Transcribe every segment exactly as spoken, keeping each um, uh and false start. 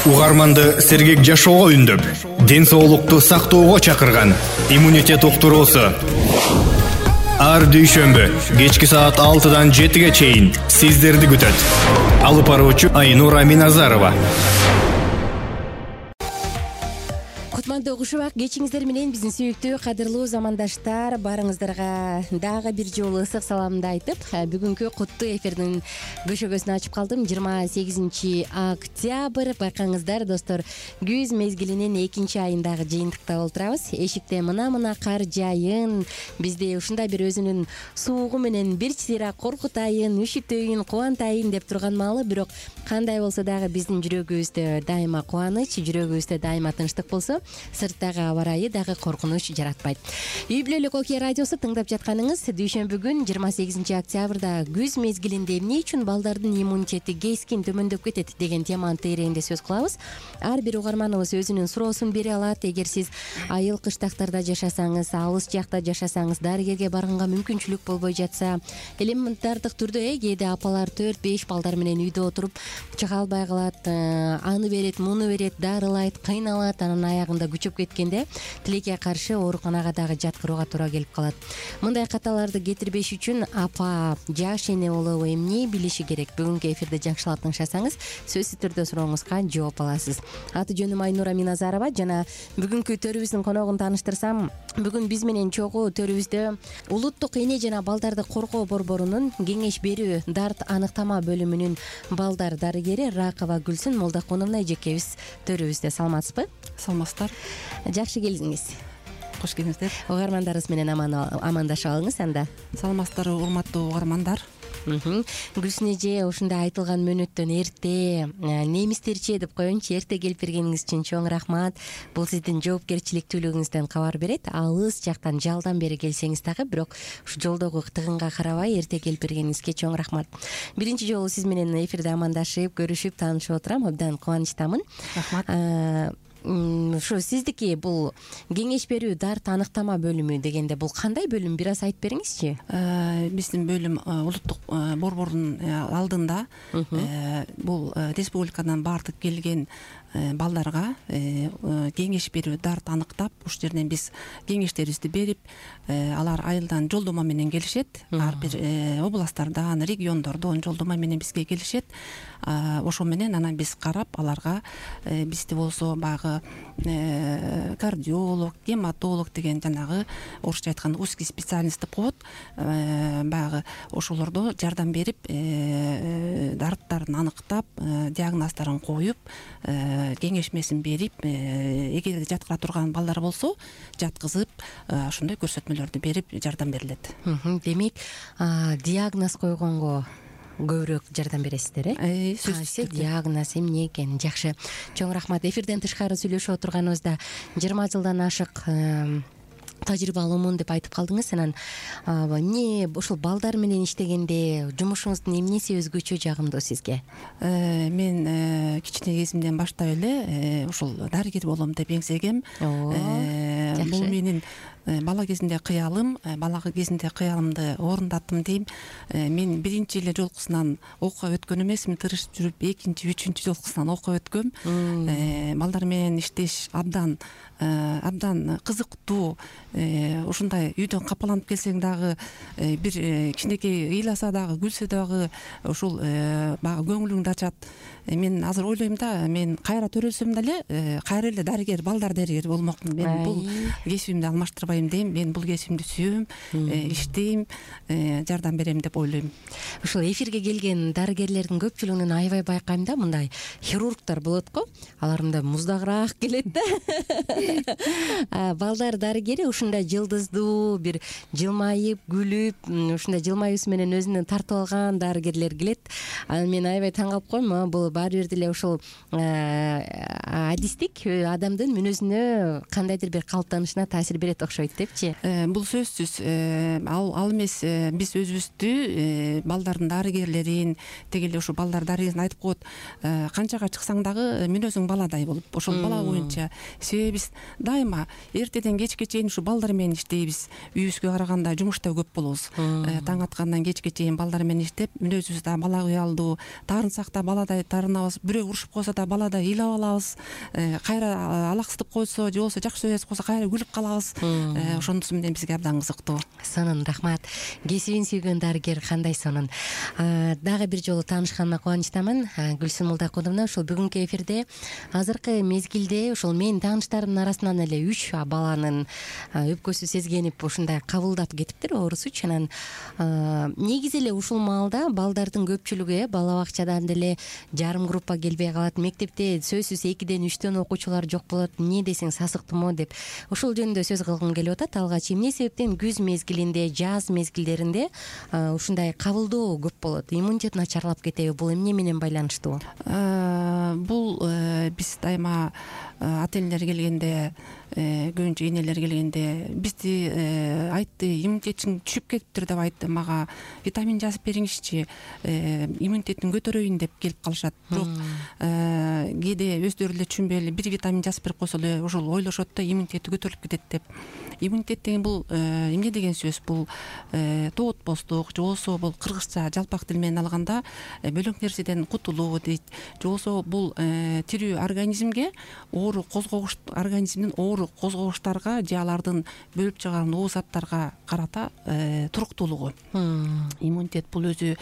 Угарманды сергек жашоого үндөп, ден соолукту сактоого чакырган иммунитет уктуруусу. Ар дүйшөмбү кечки саат алтыдан жетиге чейин сиздерди күтөт. Алып баруучу Айнура Миназарова. Кутмандуу кушубак кечиңиздер менен биздин сүйүктүү кадырлуу замандаштар, барыңыздарга дагы бир жолу ысык саламымды айтып, бүгүнкү куттуу эфирдин көшөгөсүн ачып калдым. жыйырма сегизинчи октябрь, байкаңыздар достор, күз мезгилинин экинчи айындагы жыйынтыкта олтурабыз. Эшикте мына-мына кар жайын, бизди ушундай бир өзүнүн суугу менен бир сыйра коркутайын, үшүтөйүн, кубантайын деп турган маалы, бирок кандай болсо дагы биздин жүрөгүбүздө дайыма кубаныч, жүрөгүбүздө дайыма тынчтык болсо, сырттагы аба ырайы дагы коркунуч жаратпайт. Үй бүлөлүк Окей радиосу тыңдап жатканыңыз дүйшөмбү күн жыйырма сегизинчи октябрда күз мезгилинде эмне үчүн балдардын иммунитети кескин төмөндөп кетет деген теманын тегерегинде сөз кылабыз. Ар бир угарманыбыз өзүнүн суроосун бере алат. Эгер сиз айыл кыштактарда жашасаңыз, алыс жакта жашасаңыз, дарыгерге барганга мүмкүнчүлүк болбой жатса, элементардык түрдө э кээде апалар төрт беш балдар менен үйдө отуруп чыга албай калат, аны берет, муну берет, дарылайт, кыйналат, анан аягында күчөп кеткенде тилекке каршы ооруканага дагы жаткырууга туура келип калат. Мындай каталарды кетирбеш үчүн апа, жаш эне болобу, эмне билиши керек? Бүгүнкү эфирде жакшылап тыңшасаңыз, сөзсүз түрдө сурооңузга жооп аласыз. Аты жөнүм Айнура Миназарова жана бүгүнкү төрүбүздүн коногун тааныштырсам, бүгүн биз менен чогуу төрүбүздө улуттук эне жана балдарды коргоо борборунун кеңеш берүү дарт аныктама бөлүмүнүн балдар дарыгери Ракова Гүлсүн Молдокуновна эжекебиз төрүбүздө. Саламатсызбы? Саламатсыздар. Жакшы келдиңиз. Кош келиңиздер. Угармандарыбыз менен амандашып алыңыз анда. Саламатсыздар урматтуу угармандар. Гүлсүн эже, ушундай айтылган мөөнөттөн эрте, немистерчи деп коеюнчу, эрте келип бергениңиз үчүн чоң рахмат. Бул сиздин жоопкерчиликтүүлүгүңүздөн кабар берет. Алыс жактан жалдан бери келсеңиз дагы, бирок ушу жолдогу тыгынга карабай эрте келип бергениңизге чоң рахмат. Биринчи жолу сиз менен эфирде амандашып, көрүшүп, таанышып отурам. Абдан кубанычтамын. Рахмат. Ушу сиздики бул кеңеш берүү дарт аныктама бөлүмү дегенде бул кандай бөлүм? Бир аз айтып бериңизчи. Биздин бөлүм улуттук борбордун алдында бул республикадан баардык келген балдарга кеңеш берүү дарт аныктап, ушул жерден биз кеңештерибизди берип, алар айылдан жолдомо менен келишет. Ар бир областтардан, региондордон жолдомо менен бизге келишет. Ошо менен анан биз карап, аларга бизде болсо баягы кардиолог, гематолог деген жанагы орусча айтканда узкий специальность деп коет. Баягы ошолордо жардам берип, дарттарын аныктап, диагноздорун коюп, кеңешмесин берип, эгер жаткыра турган балдар болсо жаткызып, ошондой көрсөтмөлөрдү берип жардам берилет. Демек, диагноз койгонго көбүрөөк жардам бересиздер, э? Кайсы диагноз, эмне экен? Жакшы. Чоң рахмат. Эфирден тышкары сүйлөшүп отурганыбызда жыйырма жылдан ашык тажрыйбалуумун деп айтып калдыңыз. Анан эмне ушул балдар менен иштегенде жумушуңуздун эмнеси өзгөчө жагымдуу сизге? Мен кичине кезимден баштап эле ушул дарыгер болом деп эңсегем. Бул менин бала кезимде кыялым, бала кезимде кыялымды орундаттым дейм. Мен биринчи эле жолкусунан окуга өткөн эмесмин, тырышып жүрүп, экинчи, үчүнчү жолкусунан окуга өткөм. Балдар менен иштеш абдан абдан кызыктуу. Ушундай үйдөн капаланып келсең дагы, бир кичинекей ыйласа дагы, күлсө дагы ушул баягы көңүлүңдү ачат. Мен азыр ойлойм да, мен кайра төрөлсөм деле, кайра эле дарыгер, балдар дарыгери болмокмун. Мен бул кесибимди алмаштырбайм дейм. Мен бул кесибимди сүйөм, иштейм, жардам берем деп ойлойм. Ушул эфирге келген дарыгерлердин көпчүлүгүнөн аябай байкайм да, мындай хирургтар болот го, алар мындай муздагыраак келет да. Балдар дарыгери ушундай жылдыздуу, бир жылмайып, күлүп, ушундай жылмаюусу менен өзүнө тартып алган дарыгерлер келет. Анан мен аябай таң калып коем. Бул баары бир деле ушул адистик адамдын мүнөзүнө кандайдыр бир калыптанышына таасир берет окшойт. башташпайт депчи. Бул сөзсүз ал ал эмес, биз өзүбүздү балдардын дарыгерлерин деги эле ушу балдар дарыгерин айтып коет, канчага чыксаң дагы мүнөзүң баладай болуп, ошол бала боюнча. Себеби биз дайыма эртеден кечке чейин ушу балдар менен иштейбиз. Үйүбүзгө караганда жумушта көп болобуз. Таң аткандан кечке чейин балдар менен иштеп, мүнөзүбүз да бала кыялдуу, таарынсак да баладай таарынабыз, бирөө урушуп койсо да баладай ыйлап алабыз, кайра алаксытып койсо же болбосо жакшы сөз айтып койсо кайра күлүп калабыз. Ошонусу менен бизге абдан кызыктуу. Сонун рахмат. Кесибин сүйгөн дарыгер кандай сонун. Дагы бир жолу таанышканыма кубанычтамын. Гүлсүн Мулдакуловна, ушул бүгүнкү эфирде азыркы мезгилде ушул менин тааныштарымдын арасынан эле үч баланын өпкөсү сезгенип ушундай кабылдап кетиптир оорусучу. Анан негизи эле ушул маалда балдардын көпчүлүгү бала бакчадан деле жарым группа келбей калат, мектепте сөзсүз экиден үчтөн окуучулар жок болот, эмне десең сасыктуу деп ушул жөнүндө сөз кылгым келип атат. Алгач эмне себептен күз мезгилинде, жаз мезгилдеринде ушундай кабылдоо көп болот, иммунитет начарлап кетеби? Бул эмне менен байланыштуу? Бул биз дайыма ата энелер келгенде, көбүнчө энелер келгенде бизди айтты, иммунитетиң түшүп кетиптир деп айтты, мага витамин жазып бериңизчи, иммунитетин көтөрөйүн деп келип калышат. Бирок кээде өздөрү эле түшүнбөй эле бир витамин жазып берип койсо эле ошол ойлошот да иммунитети көтөрүлүп кетет деп. Иммунитет деген бул эмне деген сөз? Бул тоотпостук, же болбосо бул кыргызча жалпак тил менен алганда бөлөк нерседен кутулуу дейт. Же болбосо бул тирүү организмге оору козгогуч, организмдин оору козгогучтарга же алардын бөлүп чыгарган оо заттарга карата туруктуулугу. Иммунитет бул өзү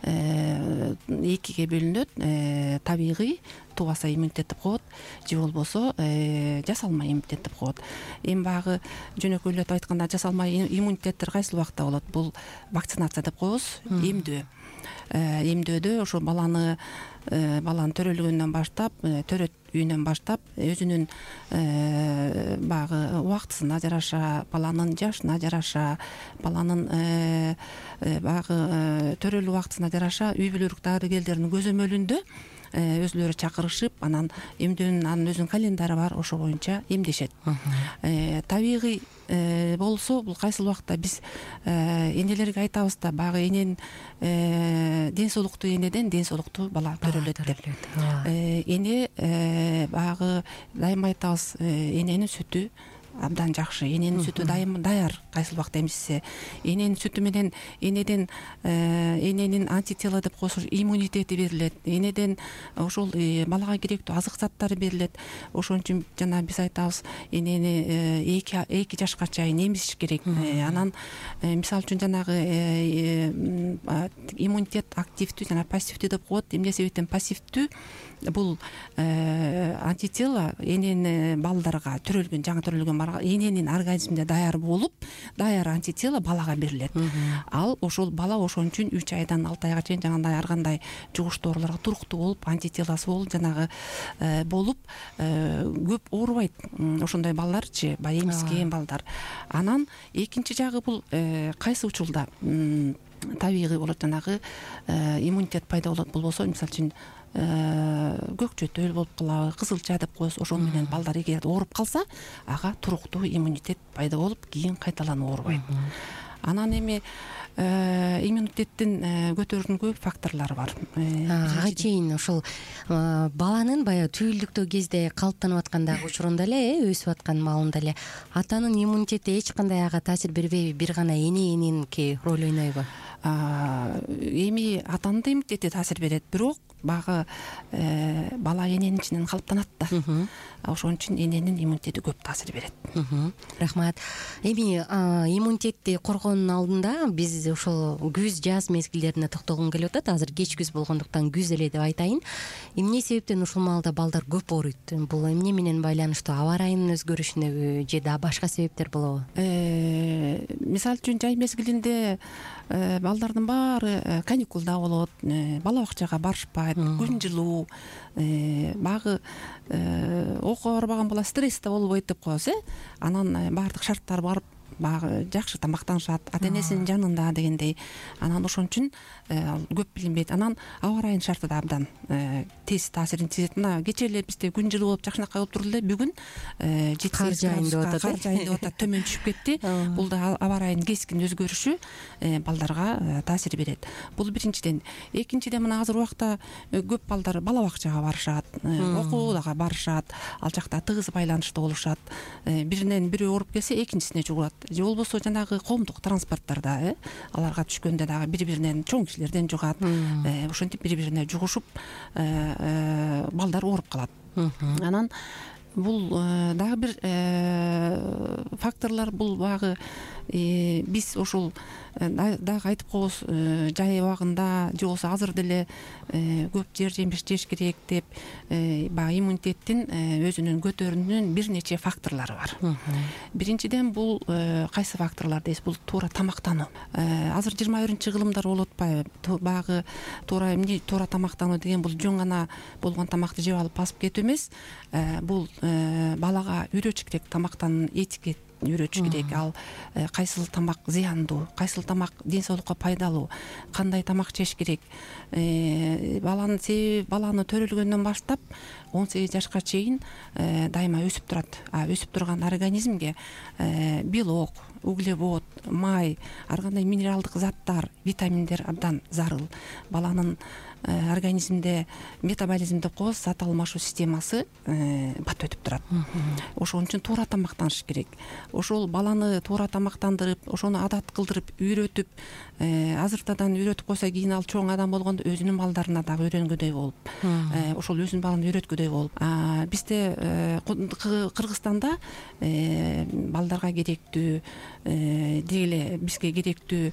экиге бөлүнөт. Табигый тубаса иммунитет деп коет, же болбосо жасалма иммунитет деп коет. Эми багы жөнөкөйлөтүп айтканда жасалма иммунитеттер кайсыл убакта болот? Бул вакцинация деп коебуз, эмдөө. Эмдөөдө ошо баланы баланын төрөлгөндөн баштап, төрөт үйүнөн баштап өзүнүн багы убактысына жараша, баланын жашына жараша, баланын багы төрөлүү убактысына жараша үй бүлөлүк дарыгерлердин көзөмөлүндө өзүлөрү чакырышып, анан эмдөөнүн анын өзүнүн календарь бар, ошо боюнча эмдешет. Табигый болсо бул кайсыл убакта биз энелерге айтабыз да, багы эненин ден соолуктуу энеден ден соолуктуу бала төрөлөт деп. Эне багы дайыма айтабыз, эненин сүтү абдан жакшы, эненин сүтү дайыма даяр. Кайсыл убакта эмизсе, эненин сүтү менен энеден эненин антитело деп коебуз, иммунитети берилет. Энеден ошол балага керектүү азык заттары берилет. Ошон үчүн жана биз айтабыз, энени эки эки жашка чейин эмизиш керек. Анан мисалы үчүн жанагы иммунитет активдүү жана пассивдүү деп коет. Эмне себептен пассивдүү? Бул антитело эненин балдарга төрөлгөн, жаңы төрөлгөн балага эненин организминде даяр болуп, даяр антитело балага берилет. Ал ошол бала ошон үчүн үч айдан алты айга чейин жаңандай ар кандай жугуштуу ооруларга туруктуу болуп, антителосу болуп, жанагы болуп көп оорубайт. Ошондой балдарчы, баягы эмизген балдар. Анан экинчи жагы бул кайсы учурда табигый болот, жанагы иммунитет пайда болот. Болбосо мисалы үчүн көк чөтөл болуп калабы, кызылча деп коебуз. Ошол менен балдар эгер ооруп калса, ага туруктуу иммунитет пайда болуп, кийин кайталанып оорубайт. Анан эми иммунитеттин көтөрүүнүн көп факторлору бар. Ага чейин ошол баланын баягы түйүлдүктүү кезде калыптанып аткандагы учурунда эле, өсүп аткан маалында эле атанын иммунитети эч кандай ага таасир бербейби? Бир гана эненики роль ойнойбу? Эми атанын да иммунитети таасир берет, бирок багы бала эненин ичинен калыптанат да. Ошон үчүн эненин иммунитети көп таасир берет. Рахмат. Эми иммунитетти коргоонун алдында биз ошол күз, жаз мезгилдерине токтолгум келип атат. Азыр кеч күз болгондуктан күз эле деп айтайын. Эмне себептен ушул маалда балдар көп ооруйт? Бул эмне менен байланыштуу? Аба ырайынын өзгөрүшүнөбү же да башка себептер болобу? Мисалы үчүн жай мезгилинде балдардын баары каникулда болот, бала бакчага барышпайт, күн жылуу, багы окууга барбаган бала стрессте болбойт деп коебуз, э? Анан баардык шарттар барып баягы жакшы тамактанышат, ата энесинин жанында дегендей. Анан ошон үчүн көп билинбейт. Анан аба ырайынын шарты да абдан тез таасирин тийгизет. Мына кечээ эле бизде күн жылуу болуп жакшынакай болуп турду эле, бүгүн жети сегиз градуска кар жайын деп атат, төмөн түшүп кетти. Бул да аба ырайынын кескин өзгөрүшү балдарга таасир берет. Бул биринчиден. Экинчиден, мына азыр убакта көп балдар бала бакчага барышат, окууга барышат, ал жакта тыгыз байланышта болушат. Биринен бирөө ооруп келсе экинчисине жугулат, же болбосо жанагы коомдук транспорттарда э аларга түшкөндө дагы бири-биринен, чоң кишилерден жугат. Ошентип бири-бирине жугушуп балдар ооруп калат. Анан бул дагы бир факторлор, бул баягы биз ошол дагы айтып коебуз, жай убагында же болбосо азыр деле көп жер жемиш жеш керек деп, баягы иммунитеттин өзүнүн көтөрүүнүн бир нече факторлору бар. Биринчиден, бул кайсы факторлор дейсиз? Бул туура тамактануу. Азыр жыйырма биринчи кылымдар болуп атпайбы? Баягы туура эмне туура тамактануу деген бул жөн гана болгон тамакты жеп алып басып кетүү эмес. Бул балага үйрөтүш керек, тамактануу этикет үйрөтүш керек. Ал кайсыл тамак зыяндуу, кайсыл тамак ден соолукка пайдалуу, кандай тамак жеш керек. Баланын себеби, баланы төрөлгөндөн баштап он сегиз жашка чейин дайыма өсүп турат. А өсүп турган организмге белок, углевод, май, ар кандай минералдык заттар, витаминдер абдан зарыл. Баланын организмде метаболизм деп коебуз, зат алмашуу системасы бат өтүп турат. Ошон үчүн туура тамактаныш керек. Ошол баланы туура тамактандырып, ошону адат кылдырып, үйрөтүп, азыртадан үйрөтүп койсо, кийин ал чоң адам болгондо өзүнүн балдарына дагы үйрөнгөдөй болуп, ошол өзүнүн балын үйрөткөдөй болуп. Бизде Кыргызстанда балдарга керектүү, деги эле бизге керектүү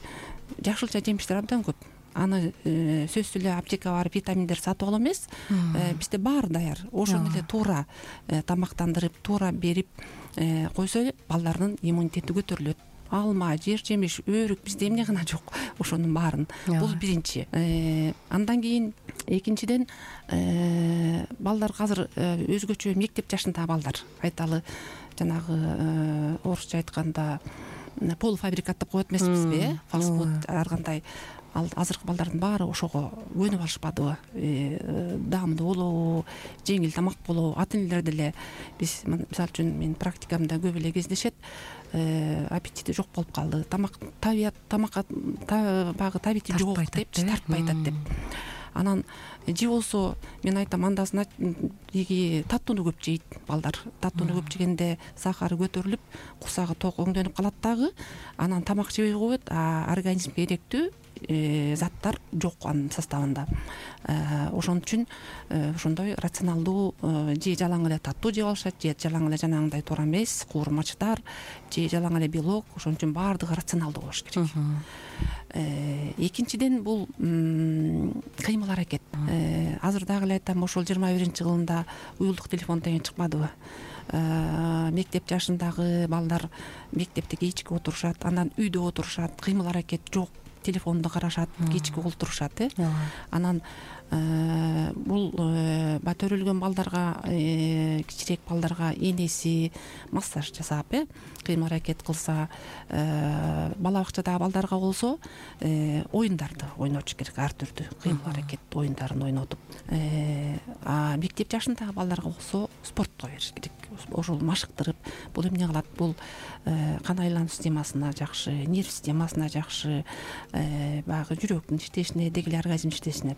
жакшылча жемиштер абдан көп. Аны сөзсүз эле аптекага барып витаминдер сатып алуу эмес, бизде баары даяр. Ошону эле туура тамактандырып, туура берип койсо, балдардын иммунитети көтөрүлөт. Алма, жер жемиш, өрүк, бизде эмне гана жок, ошонун баарын. Бул биринчи. Андан кийин экинчиден, балдар азыр өзгөчө мектеп жашындагы балдар, айталы жанагы орусча айтканда полуфабрикат деп коет эмеспизби, фастфуд, ар кандай. Ал азыркы балдардын баары ошого көнүп алышпадыбы? Даамдуу болобу, жеңил тамак болобу? Ата энелер деле, биз мисалы үчүн менин практикамда көп эле кездешет, аппетити жок болуп калды, тамак табият тамакка баягы табити жок деп, тартпай атат деп. Анан же болсо мен айтам, андасын эги таттууну көп жейт балдар. Таттууну көп жегенде сахары көтөрүлүп, курсагы ток өңдөнүп калат дагы. Анан тамак жебей коет, а организмге керектүү заттар жок анын составында. Ошон үчүн ошондой рационалдуу, же жалаң эле таттуу жеп алышат, же жалаң эле жанагындай туура эмес куурмачтар, же жалаң эле белок. Ошон үчүн баардыгы рационалдуу болуш керек. Экинчиден, бул кыймыл аракет. Азыр дагы эле айтам, ошол жыйырма биринчи кылымда уюлдук телефон деген чыкпадыбы? Мектеп жашындагы балдар мектепте кечки отурушат, анан үйдө отурушат, кыймыл аракет жок, телефонду карашат, кечки олтурушат. Анан бул төрөлгөн балдарга, кичирээк балдарга энеси массаж жасап, кыймыл аракет кылса, бала бакчадагы балдарга болсо оюндарды ойнотуш керек, ар түрдүү кыймыл аракет оюндарын ойнотуп. А мектеп жашындагы балдарга болсо спортко бериш керек. Ошол машыктырып, бул эмне кылат? Бул кан айлануу системасына жакшы, нерв системасына жакшы, баягы жүрөктүн иштешине, деги эле организм иштешине.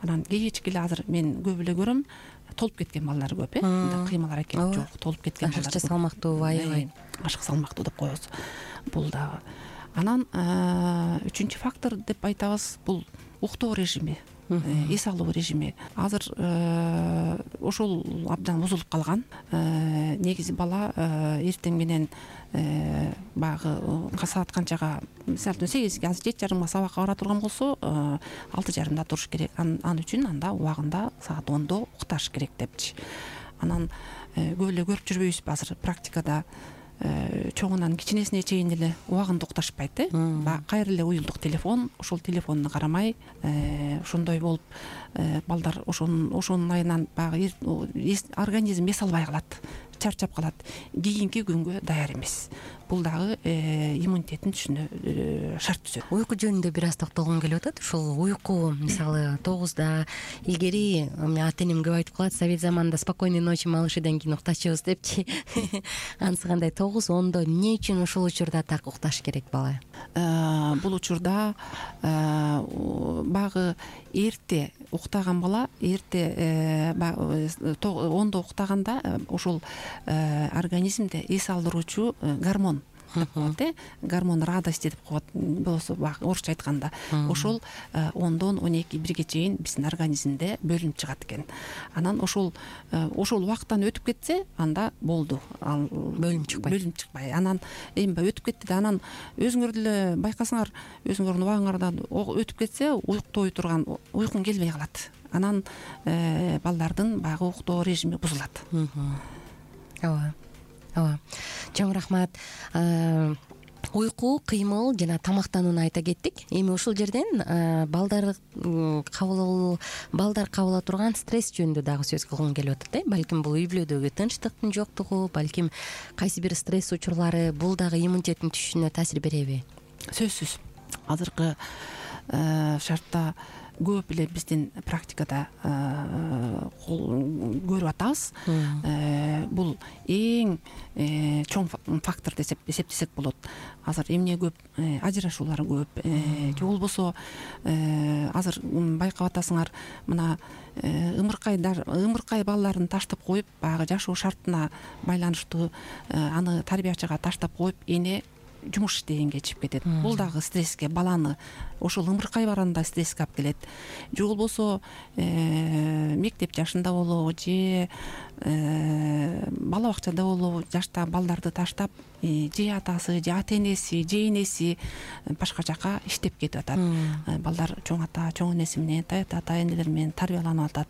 Анан кечки эле азыр мен көп эле көрөм, толуп кеткен балдар көп, э? Кыймыл аракет жок, толуп кеткен балдар. Ашыкча салмактуу, аябай. Ашык салмактуу деп коебуз. Бул дагы. Анан үчүнчү фактор деп айтабыз, бул уктоо режими, эс алуу режими. Азыр ошол абдан бузулуп калган. Негизи бала эртең менен баягы саат канчага, мисалы үчүн сегизге, азыр жети жарымга сабакка бара турган болсо, алты жарымда туруш керек. Ал үчүн анда убагында саат ондо укташ керек депчи. Анан көп эле көрүп жүрбөйбүзбү азыр практикада? Чоңунан кичинесине чейин эле убагында укташпайт, э? Кайра эле уюлдук телефон, ошол телефонду карамай, ошондой болуп, балдар ошонун ошонун айынан баягы организм эс албай калат. чарчап калат, кийинки күнгө даяр эмес. Бул дагы иммунитеттин түшүнө шарт түзөт. Уйку жөнүндө бир аз токтолгум келип атат. Ушул уйку мисалы тогузда илгери ата энем көп айтып калат, совет заманында спокойной ночи малышыдан кийин уктачубуз депчи. Анысы кандай? тогуз ондо эмне үчүн ушул учурда так укташ керек бала? Бул учурда багы эрте уктаган бала эрте ондо уктаганда ушул организмде эс алдыруучу гормон болот, э гормон радости деп коет болсо орусча айтканда. Ошол ондон он эки бирге чейин биздин организмде бөлүнүп чыгат экен. Анан ошол ошол убакыттан өтүп кетсе, анда болду. Ал бөлүнүп чыкпайт. Бөлүнүп чыкпай. Анан эми өтүп кетти да, анан өзүңөр деле байкасаңар, өзүңөрдүн убагыңардан өтүп кетсе, уктой турган уйкуң келбей калат. Анан балдардын баягы уктоо режими бузулат. Ооба. Ооба. Чоң рахмат. Уйку, кыймыл жана тамактанууну айта кеттик. Эми ушул жерден балдар кабыл балдар кабыла турган стресс жөнүндө дагы сөз кылгым келип атат, э. Балким бул үй бүлөдөгү тынчтыктын жоктугу, балким кайсы бир стресс учурлары бул дагы иммунитеттин түшүшүнө таасир береби? Сөзсүз. Азыркы шартта көп эле биздин практикада көрүп атабыз. Бул эң чоң фактор деп эсептесек болот. Азыр эмне көп? Ажырашуулар көп. Же болбосо азыр байкап атасыңар, мына ымыркайдар ымыркай балдарын таштап коюп, баягы жашоо шартына байланыштуу аны тарбиячыга таштап коюп, эне жумуш иштегенге чыгып кетет. Бул дагы стресске, баланы ошол ымыркай барганда стресске алып келет. Же болбосо мектеп жашында болобу, же бала бакчада болобу, жашта балдарды таштап, же атасы, же ата энеси, же энеси башка жака иштеп кетип атат. Балдар чоң ата, чоң энеси менен, ата энелер менен тарбияланып атат.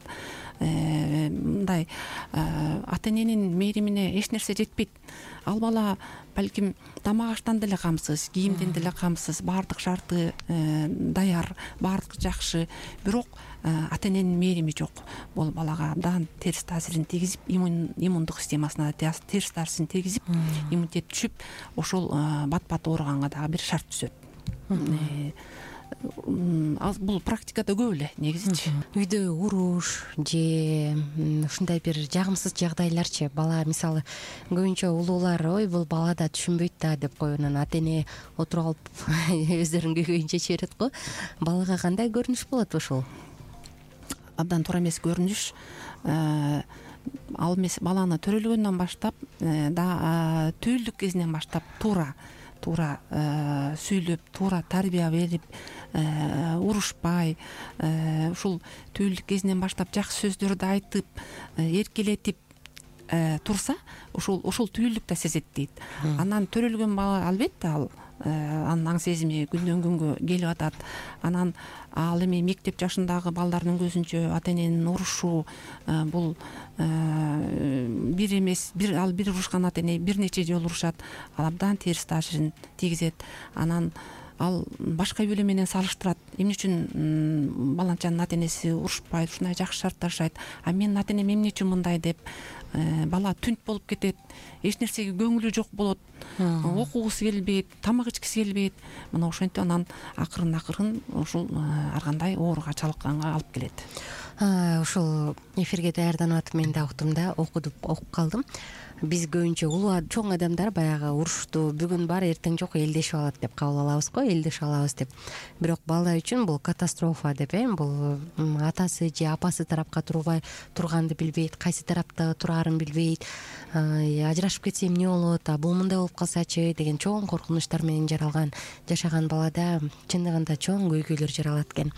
Мындай ата эненин мээримине эч нерсе жетпейт. Ал бала балким тамак аштан деле камсыз, кийимден деле камсыз, баардык шарты даяр, баардыгы жакшы, бирок ата эненин мээрими жок. Бул балага абдан терс таасирин тийгизип, иммундук системасына терс таасирин тийгизип, иммунитет түшүп, ошол бат-бат ооруганга дагы бир шарт түзөт. Бул практикада көп эле негизичи. Үйдө уруш же ушундай бир жагымсыз жагдайларчы? Бала мисалы көбүнчө улуулар ой бул бала да түшүнбөйт да деп коюп, анан ата эне отуруп алып өздөрүнүн көйгөйүн чечип берет го. Балага кандай көрүнүш болот ушул? Абдан туура эмес көрүнүш. Ал эмес, баланы төрөлгөндөн баштап, да түүлдүк кезинен баштап туура туура сүйлөп, туура тарбия берип, урушпай, ушул түүлдүк кезинен баштап жакшы сөздөрдү айтып, эркелетип турса, ушул ушул түүлдүк да сезет дейт. Анан төрөлгөн бала албетте ал анын аң сезими күндөн күнгө келип атат. Анан ал эми мектеп жашындагы балдардын көзүнчө ата эненин урушу бул бир эмес, бир ал бир урушкан ата эне бир нече жолу урушат. Ал абдан терс таасирин тийгизет. Анан ал башка үй бүлө менен салыштырат. Эмне үчүн баланчанын ата энеси урушпайт, ушундай жакшы шартта жашайт, а менин ата энем эмне үчүн мындай деп бала түнт болуп кетет, эч нерсеге көңүлү жок болот, окугусу келбейт, тамак ичкиси келбейт. Мына ошентип анан акырын акырын ушул ар кандай ооруга чалыкканга алып келет. Ушул эфирге даярданып атып мен да уктум да, окудуп окуп калдым. Биз көбүнчө улуу чоң адамдар баягы урушту бүгүн бар, эртең жок, элдешип алат деп кабыл алабыз го, элдешип алабыз деп. Бирок бала үчүн бул катастрофа деп, э, бул атасы же апасы тарапка турбай турганды билбейт, кайсы тарапта турарын билбейт, ажырашып кетсе эмне болот, а бул мындай болуп калсачы деген чоң коркунучтар менен жаралган жашаган балада чындыгында чоң көйгөйлөр жаралат экен.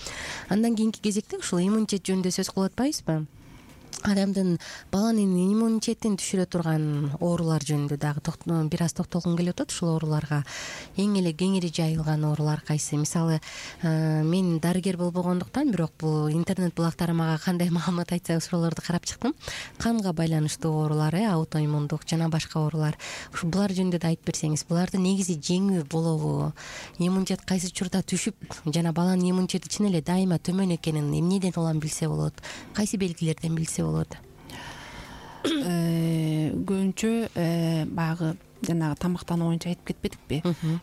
Андан кийинки кезекте ушул иммунитет жөнүндө сөз кылып атпайбызбы? Адамдын баланын иммунитетин түшүрө турган оорулар жөнүндө дагы бир аз токтолгум келип атат. Ушул ооруларга эң эле кеңири жайылган оорулар кайсы? Мисалы, мен дарыгер болбогондуктан, бирок бул интернет булактары мага кандай маалымат айтса ошолорду карап чыктым. Канга байланыштуу оорулар, аутоиммундук жана башка оорулар. Ушу булар жөнүндө да айтып берсеңиз, буларды негизи жеңүү болобу? Иммунитет кайсы учурда түшүп, жана баланын иммунитети чын эле дайыма төмөн экенин эмнеден улам билсе болот? Кайсы белгилерден билсе болот? көбүнчө баягы жанагы тамактануу боюнча айтып кетпедикпи,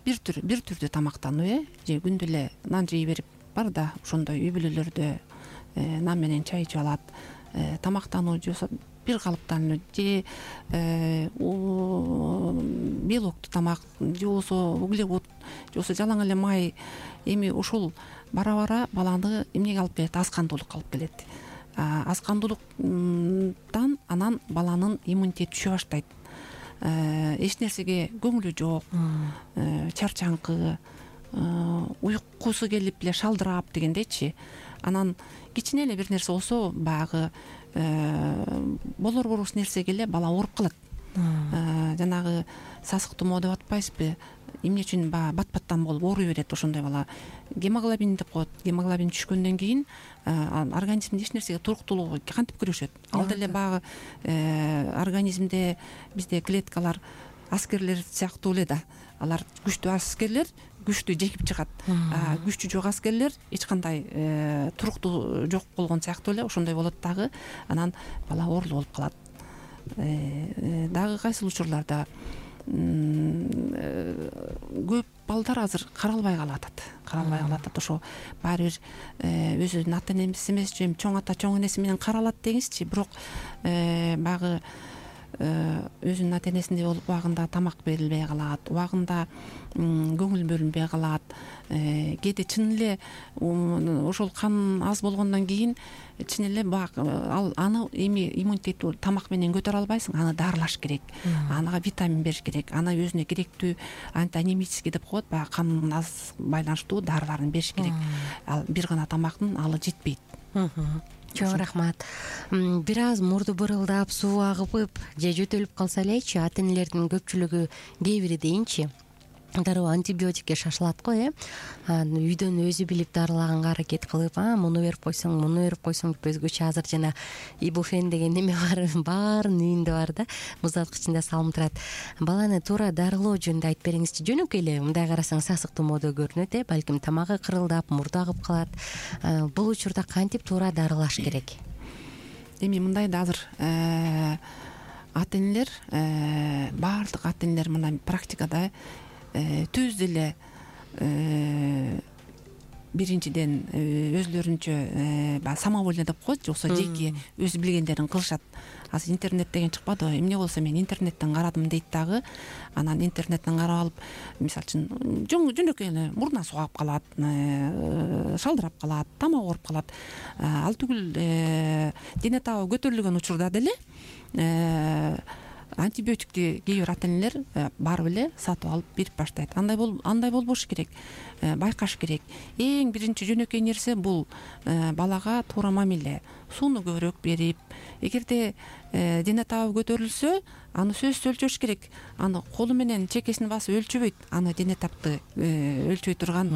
бир түр бир түрдүү тамактануу э же күндө эле нан жей берип бар да ошондой үй бүлөлөрдө нан менен чай ичип алат. Тамактануу же бир калыптан же белоктуу тамак же болбосо углевод же болбосо жалаң эле май, эми ушул бара бара баланы эмнеге алып келет? Аз кандуулукка алып келет. Аз кандуулуктан анан баланын иммунитети түшө баштайт. Эч нерсеге көңүлү жок, чарчаңкы, уйкусу келип эле шалдырап дегендейчи. Анан кичине эле бир нерсе болсо баягы болор болбос нерсеге эле бала ооруп калат. Жанагы сасык тумоо деп атпайсызбы? Эмне үчүн баягы бат-баттан болуп ооруй берет ошондой бала? Гемоглобин деп коет. Гемоглобин түшкөндөн кийин организмде эч нерсеге туруктуулугу кантип күрөшөт? Ал деле баягы организмде бизде клеткалар аскерлер сыяктуу эле да. Алар күчтүү аскерлер күчтүү жеңип чыгат. Күчтүү жок аскерлер эч кандай туруктуу жок болгон сыяктуу эле ошондой болот дагы. Анан бала оорулуу болуп калат. Дагы кайсыл учурларда көп балдар азыр каралбай калатат. Каралбай калатат. Ошо баары бир өзүнүн ата энеси эмес же чоң ата чоң энеси менен каралат деңизчи. Бирок баягы өзүнүн ата энесиндей болуп убагында тамак берилбей калат, убагында көңүл бөлүнбөй калат. Кээде чын эле ошол кан аз болгондон кийин чын эле ал аны эми иммунитет тамак менен көтөрө албайсың, аны дарылаш керек, ага витамин бериш керек, аны өзүнө керектүү антианемический деп коет, баягы кан аз байланыштуу дарыларын бериш керек. Ал бир гана тамактын алы жетпейт. Чоң рахмат. Бир аз мурду бырылдап, суу агып же жөтөлүп калса элечи, ата энелердин көпчүлүгү, кээ бири дейинчи, дароо антибиотикке шашылат го, э. Үйдөн өзү билип дарылаганга аракет кылып, а муну берип койсоң, муну берип койсоң деп өзгөчө азыр жана ибуфен деген неме бар, баарынын үйүндө бар да, муздаткычында салынып турат. Баланы туура дарылоо жөнүндө айтып бериңизчи. Жөнөкөй эле мындай карасаң сасык тумоодо көрүнөт, э, балким тамагы кырылдап, мурду агып калат. Бул учурда кантип туура дарылаш керек? Эми мындай да азыр ата энелер, баардык ата энелер мына практикада түз деле биринчиден өзлөрүнчө самовольно деп коет, же болбосо жеке өзү билгендерин кылышат. Азыр интернет деген чыкпадыбы? Эмне болсо мен интернеттен карадым дейт дагы. Анан интернеттен карап алып, мисалы үчүн жөнөкөй эле мурдуна суу агып калат, шалдырап калат, тамак ооруп калат. Ал түгүл дене табы көтөрүлгөн учурда деле антибиотикти кээ бир ата энелер барып эле сатып алып берип баштайт. Андай бол андай болбош керек. Байкаш керек. Эң биринчи жөнөкөй нерсе бул балага туура мамиле. Сууну көбүрөөк берип, эгерде дене табы көтөрүлсө, аны сөзсүз өлчөш керек. Аны колу менен чекесин басып өлчөбөйт. Аны дене табты өлчөй турган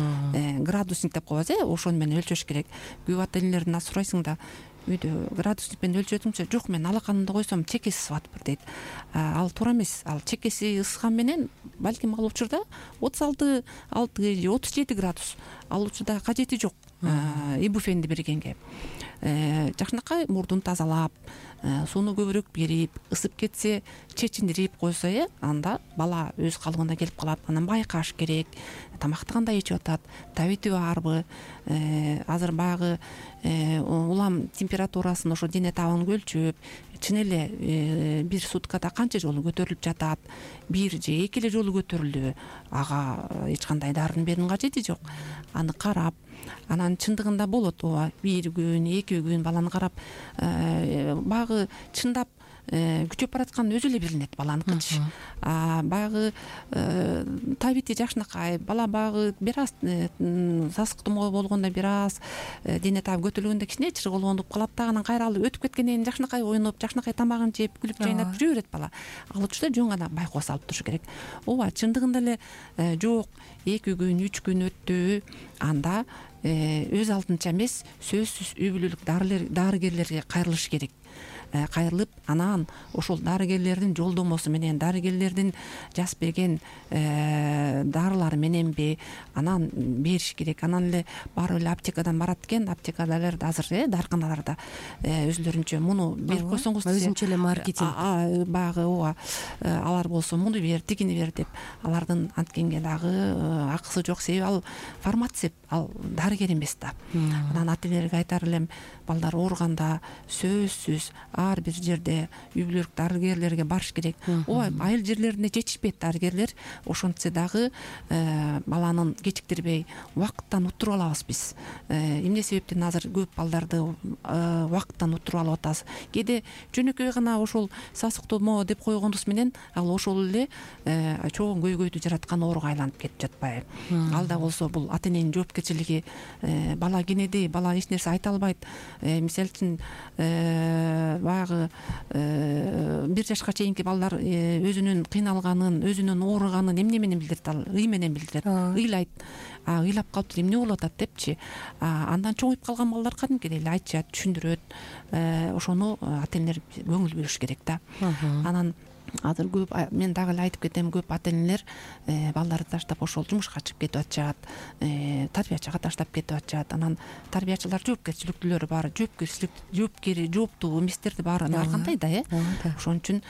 градусник деп коебуз, э, ошону менен өлчөш керек. Көп ата энелерден сурайсың да, үйдө градусник менен өлчөдүмчү, жок мен алаканымды койсом чекеси ысып дейт. Ал туура эмес. Ал чекеси ысыган менен балким ал учурда отуз алты же отуз жети градус. Ал учурда кажети жок ибуфенди бергенге. Жакшынакай мурдун тазалап, сууну көбүрөөк берип, ысып кетсе чечиндирип койсо, э, анда бала өз калыбына келип калат. Анан байкаш керек. Тамакты кандай ичип атат, табити барбы? Азыр баягы улам температурасын, ошо дене табын өлчөп, чын эле бир суткада канча жолу көтөрүлүп жатат, бир же эки эле жолу көтөрүлдүбү? Ага эч кандай дарынын берүүнүн кажети жок. Аны карап, анан чындыгында болот, ооба, бир күн, эки күн баланы карап, баягы чындап күчөп бараткан өзү эле билинет баланыкычы. Баягы табити жакшынакай, бала баягы бир аз сасык тумоо болгондо бир аз дене табы көтөрүлгөндө кичине чыргоолондуп калат да, анан кайра ал өтүп кеткенден кийин жакшынакай оюнуп, жакшынакай тамагын жеп, күлүп жайнап жүрө берет бала. Ал учурда жөн гана байкоо салып туруш керек. Ооба, чындыгында эле жок, эки күн, үч күн өттү, анда өз алдынча эмес, сөзсүз үй бүлөлүк дарыгерлерге кайрылыш керек. кайрылып анан ошол дарыгерлердин жолдомосу менен дарыгерлердин жазып берген дарылары мененби анан бериш керек. Анан эле барып эле аптекадан барат экен, аптекадалар азыр э дарканаларда өзүлөрүнчө муну берип койсоңуз өзүнчө эле маркетинг баягы ооба алар болсо муну бер тигини бер деп алардын анткенге дагы акысы жок, себеби ал фармацевт, ал дарыгер эмес да. Анан ата энелерге айтар элем, балдар ооруганда сөзсүз ар бир жерде үй бүлөлүк дарыгерлерге барыш керек. Ооба айыл жерлерине жетишпейт дарыгерлер, ошентсе дагы баланын кечиктирбей убакыттан уттуруп алабыз биз. Эмне себептен азыр көп балдарды убакыттан уттуруп алып атабыз? Кээде жөнөкөй гана ошол сасыктоо деп койгонубуз менен ал ошол эле чоң көйгөйдү жараткан ооруга айланып кетип жатпайбы? Ал да болсо бул ата эненин жоопкерчилиги. Бала кенеди, бала эч нерсе айта албайт. Мисалы үчүн баягы бир жашка чейинки балдар өзүнүн кыйналганын, өзүнүн ооруганын эмне менен билдирет? Ал ый менен билдирет, ыйлайт. Ыйлап калыптыр, эмне болуп атат депчи. Андан чоңоюп калган балдар кадимкидей эле айтышат, түшүндүрөт. Ошону ата энелер көңүл буруш керек да. Анан азыр көп, мен дагы эле айтып кетем, көп ата энелер балдарды таштап ошол жумушка чыгып кетип атышат, тарбиячыга таштап кетип атышат. Анан тарбиячылар жоопкерчиликтүүлөрү бар, жоопкерчилик жоопкери жооптуу эместерди баарын ар кандай да э. Ошон үчүн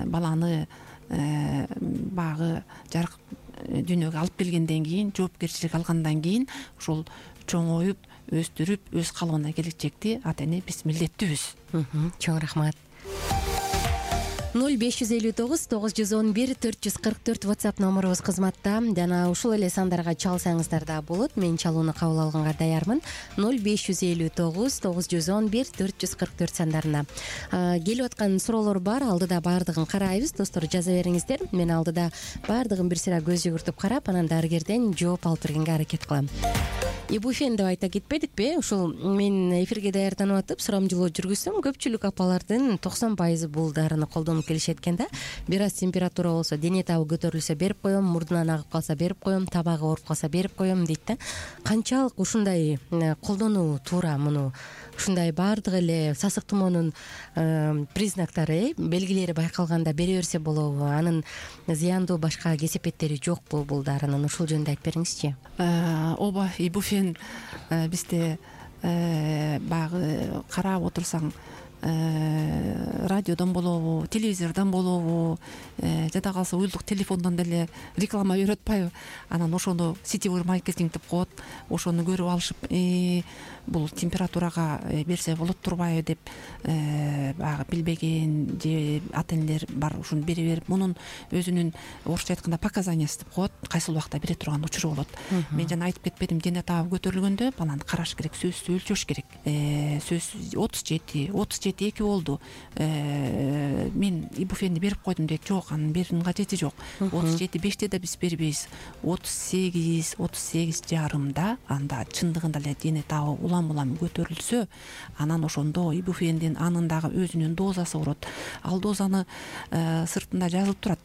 баланы баягы жарык дүйнөгө алып келгенден кийин, жоопкерчилик алгандан кийин ошол чоңоюп, өстүрүп, өз калыбына келечекти ата эне биз милдеттүүбүз. Чоң рахмат. ноль беш жүз элүү тогуз тогуз жүз он бир төрт жүз кырк төрт WhatsApp номерубуз кызматта. Жана ушул эле сандарга чалсаңыздар да болот. Мен чалууну кабыл алганга даярмын. ноль беш жүз элүү тогуз тогуз жүз он бир төрт жүз кырк төрт сандарына. Келип аткан суроолор бар. Алдыда баардыгын карайбыз. Достор, жаза бериңиздер. Мен алдыда баардыгын бир сыйра көз жүгүртүп карап, анан дарыгерден жооп алып бергенге аракет кылам. Ибуфен деп айта кетпедикпи? Ушул мен эфирге даярданып атып сурамжылоо жүргүзсөм, көпчүлүк апалардын токсон пайызы бул дарыны колдонуп келишет экен да. Бир аз температура болсо, дене табы көтөрүлсө берип коем, мурдунан агып калса берип коем, табагы ооруп калса берип коем дейт да. Канчалык ушундай колдонуу туура? Муну ушундай баардык эле сасык тумоонун признактары, белгилери байкалганда бере берсе болобу? Анын зыяндуу башка кесепеттери жокпу бул дарынын? Ушул жөнүндө айтып бериңизчи. Ооба, ибуфен бизде баягы карап отурсаң радиодон болобу, телевизордон болобу, жада калса уюлдук телефондон деле реклама берип атпайбы? Анан ошону сетевой маркетинг деп коет. Ошону көрүп алышып, бул температурага берсе болот турбайбы деп баягы билбеген же ата энелер бар, ушуну бере берип, мунун өзүнүн орусча айтканда показаниясы деп коет, кайсыл убакта бере турган учуру болот. Мен жана айтып кетпедим, дене табы көтөрүлгөндө баланы караш керек, сөзсүз өлчөш керек. Сөзсүз отуз жети отуз жети эки болду, мен ибуфенди берип койдум дейт. Жок, анын берүүнүн кажети жок. отуз жети беште да биз бербейбиз. отуз сегиз отуз сегиз жарымда анда чындыгында эле дене табы улам улам көтөрүлсө, анан ошондо ибуфендин анындагы өзүнүн дозасы болот. Ал дозаны сыртында жазылып турат.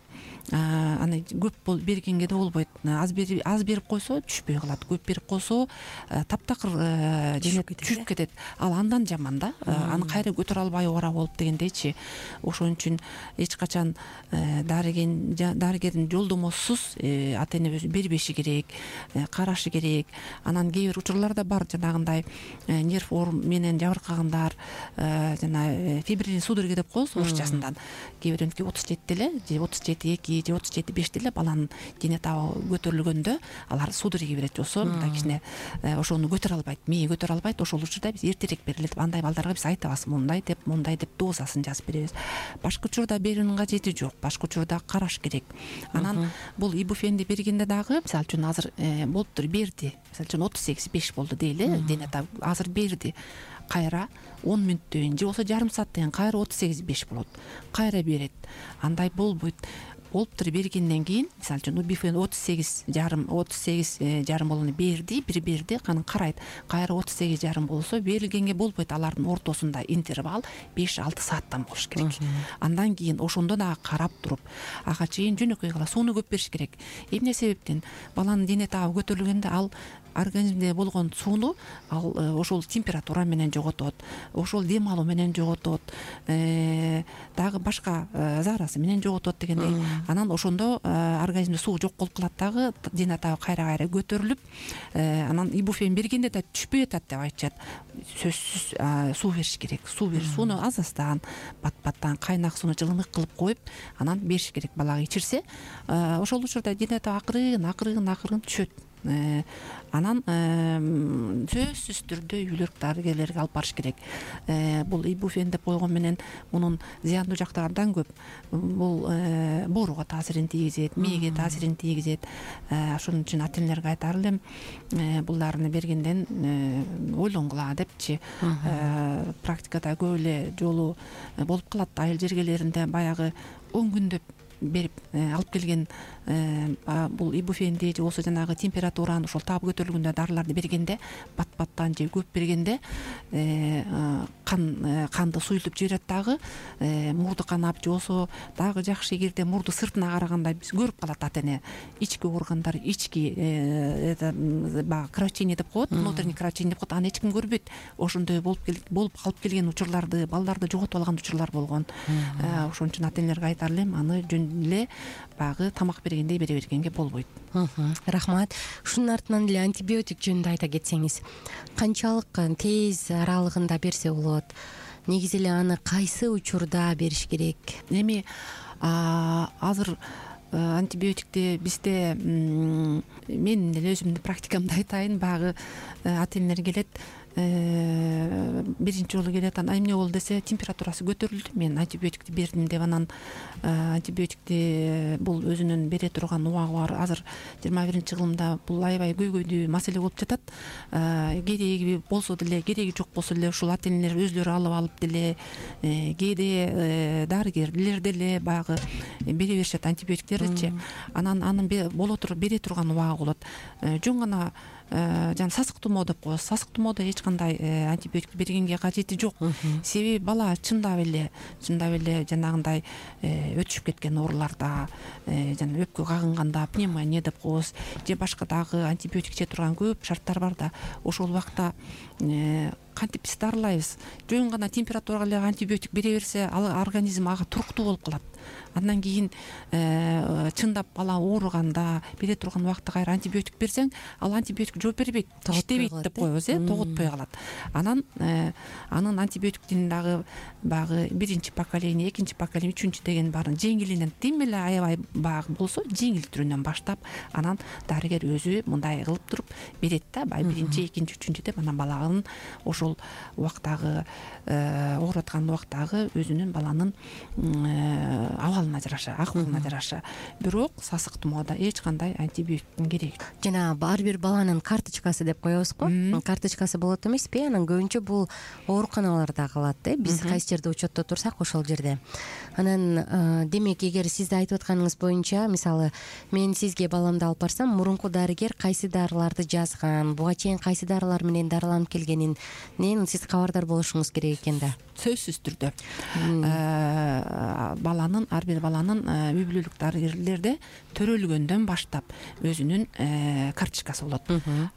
Аны көп бол бергенге да болбойт. Аз берип аз берип койсо түшпөй калат. Көп берип койсо таптакыр дене түшүп кетет. Ал андан жаман да. Аны кайра көтөрө албай ора болуп дегендейчи. Ошон үчүн эч качан дарыген дарыгердин жолдомосусуз ата эне өзү бербеши керек, карашы керек. Анан кээ бир учурларда бар, жанагындай нерв менен жабыркагандар, жана фибрилин судороги деп коебуз орусчасынан. Кээ биринки отуз жетиде эле же отуз жети эки же отуз жети беште эле баланын дене табы көтөрүлгөндө алар судороги берет, жосо мындай кичине ошону көтөрө албайт, мээ көтөрө албайт. Ошол учурда биз эртерээк берилет. Андай балдарга биз айтабыз, мындай деп, мындай деп дозасын жазып беребиз. Башка учурда берүүнүн кажети жок. Башка учурда караш керек. Анан бул ибуфенди бергенде дагы, мисалы үчүн азыр болуптур, берди. Мисалы үчүн отуз сегиз беш болду дейли, дене табы азыр берди. Кайра он мүнөттөн кийин же болсо жарым сааттан кийин кайра отуз сегиз беш болот. Кайра берет. Андай болбойт. Болуптур, бергенден кийин, мисалы үчүн ибуфен отуз сегиз жарым отуз сегиз жарым болгону берди, бир берди, анан карайт. Кайра отуз сегиз жарым болсо берилгенге болбойт. Алардын ортосунда интервал беш алты сааттан болуш керек. Андан кийин ошондо дагы карап туруп, ага чейин жөнөкөй гана сууну көп бериш керек. Эмне себептен? Баланын дене табы көтөрүлгөндө ал организмде болгон сууну ал ошол температура менен жоготот, ошол дем алуу менен жоготот, дагы башка зарасы менен жоготот дегендей. Анан ошондо организмде суу жок болуп калат, дагы дене табы кайра кайра көтөрүлүп, анан ибуфен бергенде да түшпөй атат деп айтышат. Сөзсүз суу бериш керек. Суу бериш, сууну аз аздан, бат баттан кайнак сууну жылымык кылып коюп, анан бериш керек балага. Ичирсе, ошол учурда дене табы акырын акырын акырын түшөт. Анан сөзсүз түрдө үй бүлөлүк дарыгерлерге алып барыш керек. Бул ибуфен деп койгон менен мунун зыяндуу жактары абдан көп. Бул бооруга таасирин тийгизет, мээге таасирин тийгизет. Ошон үчүн ата энелерге айтар элем, бул дарыны бергенден ойлонгула депчи. Практикада көп эле жолу болуп калат. Айыл жергелеринде баягы он күндөп берип алып келген бул ибуфенди же болбосо жанагы температураны ошол табы көтөрүлгөндө дарыларды бергенде, бат баттан же көп бергенде кан канды суюлтуп жиберет, дагы мурду канап же болбосо дагы жакшы эгерде мурду сыртына караганда биз көрүп калат ата эне. Ички органдар, ички баягы кровотечение деп коет, внутренний кровотечение деп коет, аны эч ким көрбөйт. Ошондой болуп болуп калып келген учурларды, балдарды жоготуп алган учурлар болгон. Ошон үчүн ата энелерге айтар элем, аны жөн эле баягы тамак бергендей бере бергенге болбойт. Рахмат. Ушунун артынан эле антибиотик жөнүндө айта кетсеңиз, канчалык тез аралыгында берсе болот? Негизи эле аны кайсы учурда бериш керек? Эми азыр антибиотикти бизде, мен эле өзүмдүн практикамда айтайын, баягы ата энелер келет, биринчи жолу келет, анан эмне болду десе, температурасы көтөрүлдү, мен антибиотикти бердим деп, анан антибиотикти бул өзүнүн бере турган убагы бар. Азыр жыйырма биринчи кылымда бул аябай көйгөйдүү маселе болуп жатат. Кереги болсо деле, кереги жок болсо деле ушул ата энелер өзлөрү алып алып деле, кээде дарыгерлер деле баягы бере беришет антибиотиктерди. Анан анын боло туруп бере турган убагы болот. Жөн гана жана сасык тумоо деп коебуз. Сасык тумоодо эч кандай антибиотик бергенге кажети жок. Себеби бала чындап эле, чындап эле жанагындай өтүшүп кеткен ооруларда, жана өпкө кагынганда пневмония деп коебуз, же башка дагы антибиотик иче турган көп шарттар бар да, ошол убакта кантип биз дарылайбыз? Жөн гана температурага эле антибиотик бере берсе, ал организм ага туруктуу болуп калат. Андан кийин чындап бала ооруганда, бере турган убакта кайра антибиотик берсең, ал антибиотик жооп бербейт, иштебейт деп коебуз, э, тоготпой калат. Анан анын антибиотиктин дагы багы биринчи поколение, экинчи поколение, үчүнчү деген баарын жеңилинен, тим эле аябай багы болсо жеңил түрүнөн баштап, анан дарыгер өзү мындай кылып туруп берет да, баягы биринчи, экинчи, үчүнчү деп, анан баланын ошол убактагы ооруп аткан убактагы өзүнүн баланын абалына жараша, акыбына жараша. Бирок сасык тумоодо эч кандай антибиотиктин кереги жок. Жана ар бир баланын карточкасы деп коебузго, карточкасы болот эмеспи? Анан көбүнчө бул ооруканаларда калат, э, биз кайсы жерде учетто турсак ошол жерде. Анан демек, эгер сиздин айтып атканыңыз боюнча, мисалы, мен сизге баламды алып барсам, мурунку дарыгер кайсы дарыларды жазган, буга чейин кайсы дарылар менен дарыланып келгенин сиз кабардар болушуңуз керек экен да. Сөзсүз түрдө. Баланын, ар бир баланын үй бүлөлүк дарыгерлерде төрөлгөндөн баштап өзүнүн карточкасы болот.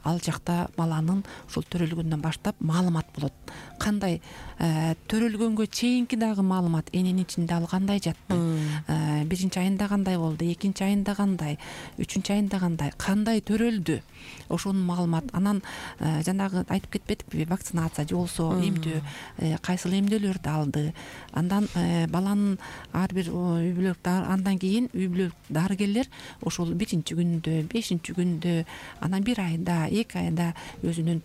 Ал жакта баланын ушул төрөлгөндөн баштап маалымат болот. Кандай төрөлгөнгө чейинки дагы маалымат, эненин ичинде ал кандай жатты, биринчи айында кандай болду, экинчи айында кандай, үчүнчү айында кандай, кандай төрөлдү, ошонун маалымат. Анан жанагы айтып кетпедикпи, вакцинация же болсо эмдөө, кайсыл эмдөөлөрдү алды. Андан баланын ар бир үй бүлөлүк, андан кийин үй бүлөлүк дарыгерлер ошол биринчи күндө, бешинчи күндө, анан бир айда, эки айда өзүнүн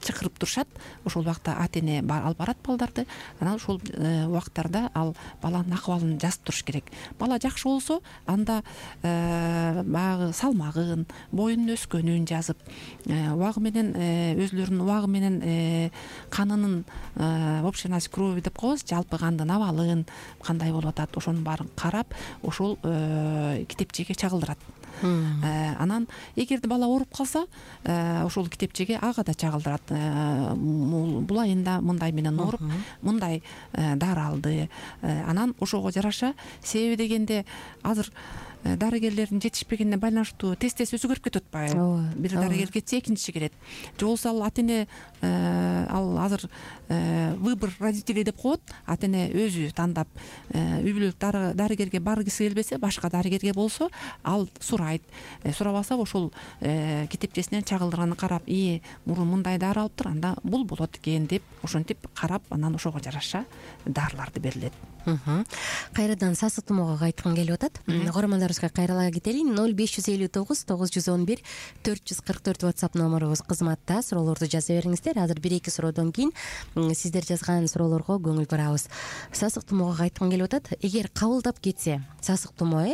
чакырып турушат. Ошол убакта ата эне алып барат балдарды. Анан ошол убактарда ал баланын акыбалын жазып туруш керек. Бала жакшы болсо, анда баягы салмагын, боюнун өскөнүн жазып, убагы менен өзлөрүнүн убагы менен канынын общеность крови деп коебуз, жалпы кандын абалын кандай болуп атат, ошонун баарын карап, ошол китепчеге чагылдырат. Анан эгерде бала ооруп калса, ошол китепчеге ага да чагылдырат. Бул айында мындай менен ооруп, мындай дары алды. Анан ошого жараша, себеби дегенде азыр дарыгерлердин жетишпегенине байланыштуу тез тез өзгөрүп кетип атпайбы? Бир дарыгер кетсе экинчиси келет же болбосо ал ата эне ал азыр выбор родителей деп коет, ата эне өзү тандап үй бүлөлүк дарыгерге баргысы келбесе башка дарыгерге болсо ал сурайт, сурабаса ошол китепчесинен чагылдырганын карап, ие мурун мындай дары алыптыр, анда бул болот экен деп ошентип карап, анан ошого жараша дарыларды берилет. Кайрадан сасык тумоого кайткым келип атат. Көрөрмандарыбызга кайрала кетели. ноль беш жүз элүү тогуз тогуз жүз он бир төрт жүз кырк төрт WhatsApp номерубуз кызматта. Суроолорду жаза бериңиздер. Азыр бир эки суроодон кийин сиздер жазган суроолорго көңүл бурабыз. Сасык тумоого кайткым келип атат. Эгер кабылдап кетсе сасык тумоо,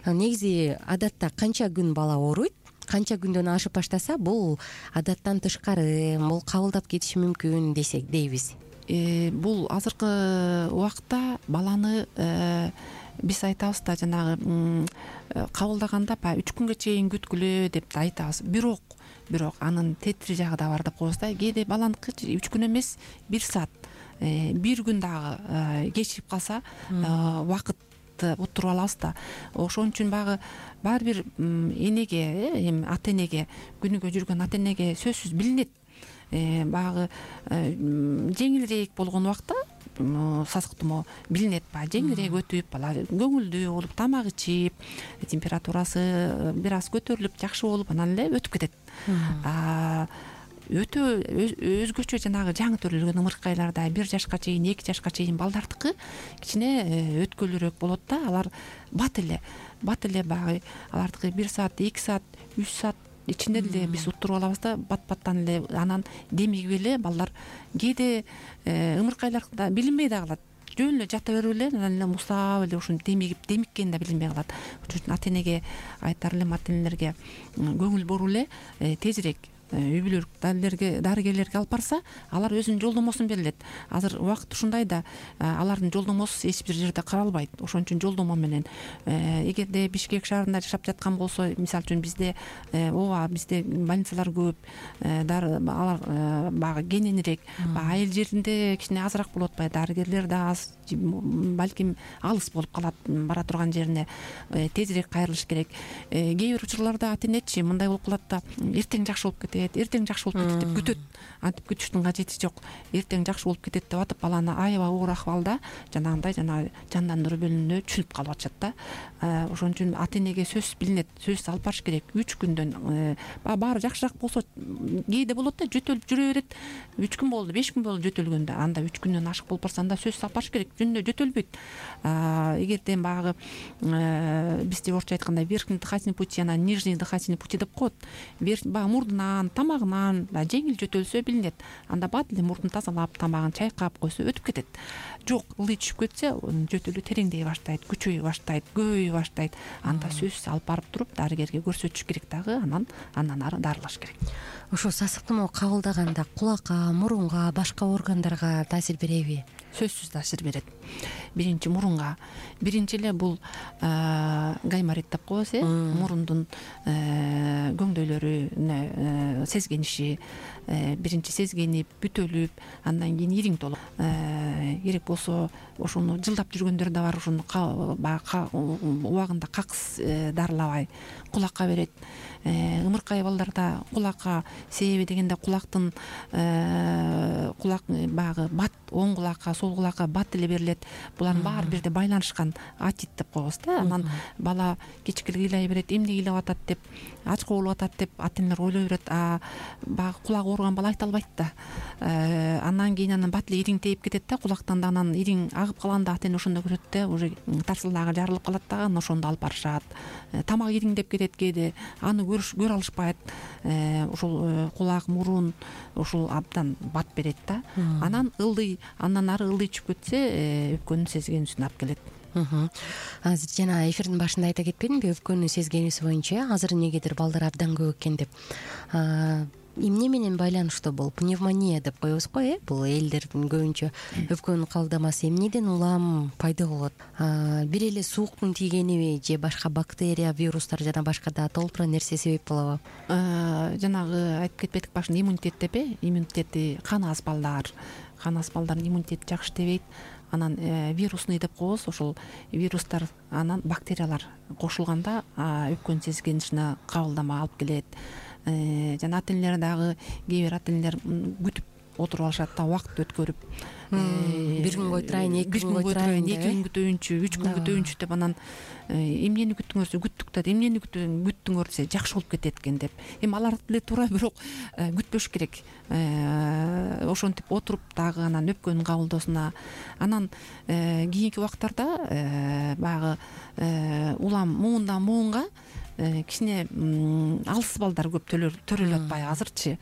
негизи адатта канча күн бала ооруйт? Канча күндөн ашып баштаса бул адаттан тышкары, бул кабылдап кетиши мүмкүн десек дейбиз. Бул азыркы убакта баланы биз айтабыз да, жанагы кабылдаганда баягы үч күнгө чейин күткүлө деп айтабыз. Бирок бирок анын тетир жагы да бар деп коебуз да. Кээде баланыкы үч күн эмес, бир саат, бир күн дагы кечирип калса убакыт уттуруп алабыз да. Ошон үчүн багы баары бир энеге, эми ата энеге, күнүгө жүргөн ата энеге сөзсүз билинет. Багы жеңилирээк болгон убакта сасык тумоо билинет. Баягы жеңилирээк өтүп, бала көңүлдүү болуп, тамак ичип, температурасы бир аз көтөрүлүп, жакшы болуп, анан эле өтүп кетет. Өтө өзгөчө жанагы жаңы төрөлгөн ымыркайларда бир жашка чейин, эки жашка чейин балдардыкы кичине өткөлүүрөөк болот да. Алар бат эле, бат эле багы алардыкы бир саат, эки саат, үч саат ичинде эле биз уттуруп алабыз да, бат-баттан эле. Анан демигип эле балдар кээде ымыркайларда билинбей да калат. Жөн эле жата берип эле, анан эле мустап эле ушинтип демигип, демиккени да билинбей калат. Ошон үчүн ата энеге айтар элем, ата энелерге көңүл буруп эле тезирээк үй бүлөлүк дарыгерлерге алып барса, алар өзүнүн жолдомосун берилет. Азыр убакыт ушундай да, алардын жолдомосу эч бир жерде каралбайт. Ошон үчүн жолдомо менен, эгерде Бишкек шаарында жашап жаткан болсо, мисалы үчүн бизде ооба бизде больницалар көп, алар багы кененирээк, айыл жеринде кичине азыраак болуп атпайбы, дарыгерлер да аз, балким алыс болуп калат, бара турган жерине тезирээк кайрылыш керек. Кээ бир учурларда ата энечи мындай болуп калат да, эртең жакшы болуп кетет, эртең жакшы болуп кетет деп күтөт. Антип күтүштүн кажети жок. Эртең жакшы болуп кетет деп атып, баланы аябай оор акыбалда жанагындай жанагы жандандыруу бөлүмүнө түшүнүп калып атышат да. Ошон үчүн ата энеге сөзсүз билинет, сөзсүз алып барыш керек. үч күндөн баары жакшыраак болсо, кээде болот да, жөтөлүп жүрө берет. үч күн болду, беш күн болду жөтөлгөндө. Анда үч күндөн ашык болуп барса, анда сөзсүз алып барыш керек. Жөнүндө жөтөлбөйт. Эгерден багы бизде орусча айтканда верхний дыхательный пути, анан нижний дыхательный пути деп коет. Баягы мурдунан, тамагынан жеңил жөтөлсө билинет. Анда бат эле мурдун тазалап, тамагын чайкап койсо өтүп кетет. Жок, ылый түшүп кетсе, жөтөлүү тереңдей баштайт, күчөй баштайт, көбөй баштайт. Анда сөзсүз алып барып туруп дарыгерге көрсөтүш керек дагы, анан андан ары дарылаш керек. Ошо сасык тумоо кабылдаганда кулакка, мурунга, башка органдарга таасир береби? Сөзсүз таасир берет. Биринчи мурунга. Биринчи эле бул гайморит деп коебуз, э, мурундун көңдөйлөрү сезгениши, биринчи сезгенип, бүтөлүп, андан кийин ириң толуп, керек болсо ошону жылдап жүргөндөр да бар. Ошону убагында какыс дарылабай кулакка берет. Ымыркай балдарда кулакка себеби дегенде кулактын кулак багы бат, оң кулакка, сол кулакка бат эле берилет. Булардын баары бирде байланышкан, атит деп коебуз да. Анан бала кечке кыйлай берет, эмне кыйлап атат деп, ачка болуп атат деп ата энелер ойлой берет. А багы кулагы ооруган бала айта албайт да. Андан кийин анан бат эле ириң тээп кетет да, кулактан да. Анан ириң агып калганда ата эне ошондо көрөт да, уже тарсылдагы жарылып калат дагы, анан ошондо алып барышат. Тамак ириңдеп кетет кээде, аны көрө алышпайт. Ошол кулак, мурун ошол абдан бат берет да. Анан ылдый, андан ары ылдый түшүп кетсе, өпкөнүн сезгенүүсүн алып келет. Азыр жана эфирдин башында айта кетпедимби, өпкөнүн сезгенүүсү боюнча азыр эмнегедир балдар абдан көп экен деп. Эмне менен байланыштуу бул? Пневмония деп коебуз го, э? Бул элдердин көбүнчө өпкөнүн кабылдамасы эмнеден улам пайда болот? Бир эле сууктун тийгениби же башка бактерия, вирустар жана башка да толтура нерсе себеп болобу? Жанагы айтып кетпедик башында, иммунитет деп, э? Иммунитети кан аз балдар, кан аз балдардын иммунитети жакшы иштебейт. анан вирусный деп коебуз. Ошол вирустар анан бактериялар кошулганда өпкөнүн сезгенишине кабылдама алып келет. Жана ата энелер дагы кээ бир ата энелер күтүп отуруп алышат да, убакыт өткөрүп бир күн кой турайын, эки күн кой турайын, эки күн күтөйүнчү, үч күн күтөйүнчү деп анан эмнени күттүңөр, күттүк да, эмнени күттүңөр десе жакшы болуп кетет экен деп. Эми алар деле туура, бирок күтпөш керек. Ошентип отуруп дагы анан өпкөнүн кабылдоосуна анан кийинки убактарда баягы улам муундан муунга кичине алыс балдар көп төрөлүп атпайбы азырчы.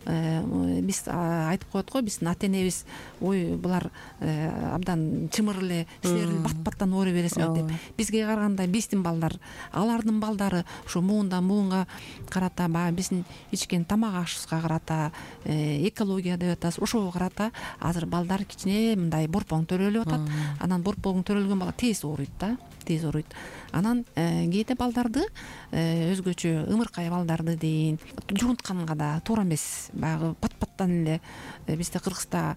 Биз айтып коет го, биздин ата энебиз ой булар абдан чымыр эле, силер бат-баттан ооруй бересиңер деп. Бизге караганда биздин балдар, алардын балдары ушу муундан муунга карата, баягы биздин ичкен тамак ашыбызга карата, экология деп атабыз, ошого карата азыр балдар кичине мындай борпоң төрөлүп атат. Анан борпоң төрөлгөн бала тез ооруйт да, тез ооруйт. Анан кээде балдарды өзгөчө ымыркай балдарды дейин жуунтканга да туура эмес. Баягы пат-паттан эле бизде Кыргызда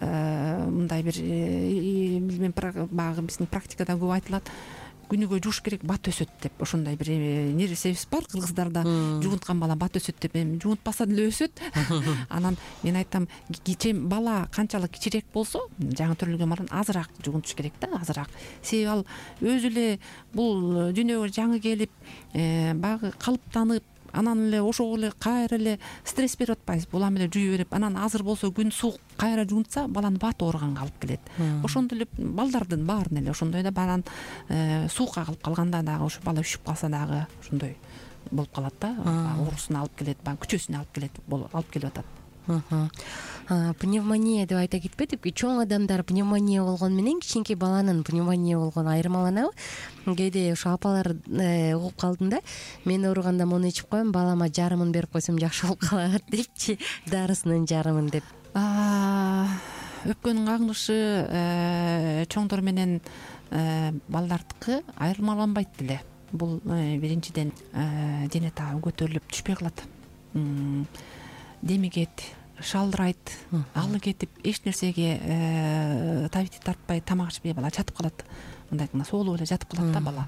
мындай бир билбейм, баягы биздин практикада көп айтылат. Күнүгө жууш керек, бат өсөт деп. Ошондой бир нерсебиз бар кыргыздарда. Жуунткан бала бат өсөт деп. Эми жуунтпаса деле өсөт. Анан мен айтам, бала канчалык кичирээк болсо, жаңы төрөлгөн баланы азыраак жуунтуш керек да, азыраак. Себеби ал өзү эле бул дүйнөгө жаңы келип, баягы калыптанып, анан эле ошого эле кайра эле стресс берип атпайбыз. Бул ам эле жуй берип, анан азыр болсо күн суук кайра жуунтса, баланы бат ооруганга алып келет. Ошондой эле балдардын баарын эле ошондой да, баланы суукка калып калганда дагы, ошо бала үшүп калса дагы ошондой болуп калат да, оорусуна алып келет, баягы күчөсүнө алып келет, алып келип атат. Пневмония деп айта кетпедикпи? Чоң адамдар пневмония болгон менен кичинекей баланын пневмония болгону айырмаланабы? Кээде ошо апалар угуп калдым да, мен ооруганда муну ичип коем, балама жарымын берип койсом жакшы болуп калат депчи, дарысынын жарымын деп. Өпкөнүн кагылышы чоңдор менен балдардыкы айырмаланбайт деле. Бул биринчиден дене табы көтөрүлүп түшпөй калат, демигет, шалдырайт, алы кетип, эч нерсеге табити тартпай, тамак ичпей бала жатып калат. Мындай соолуп эле жатып калат да бала.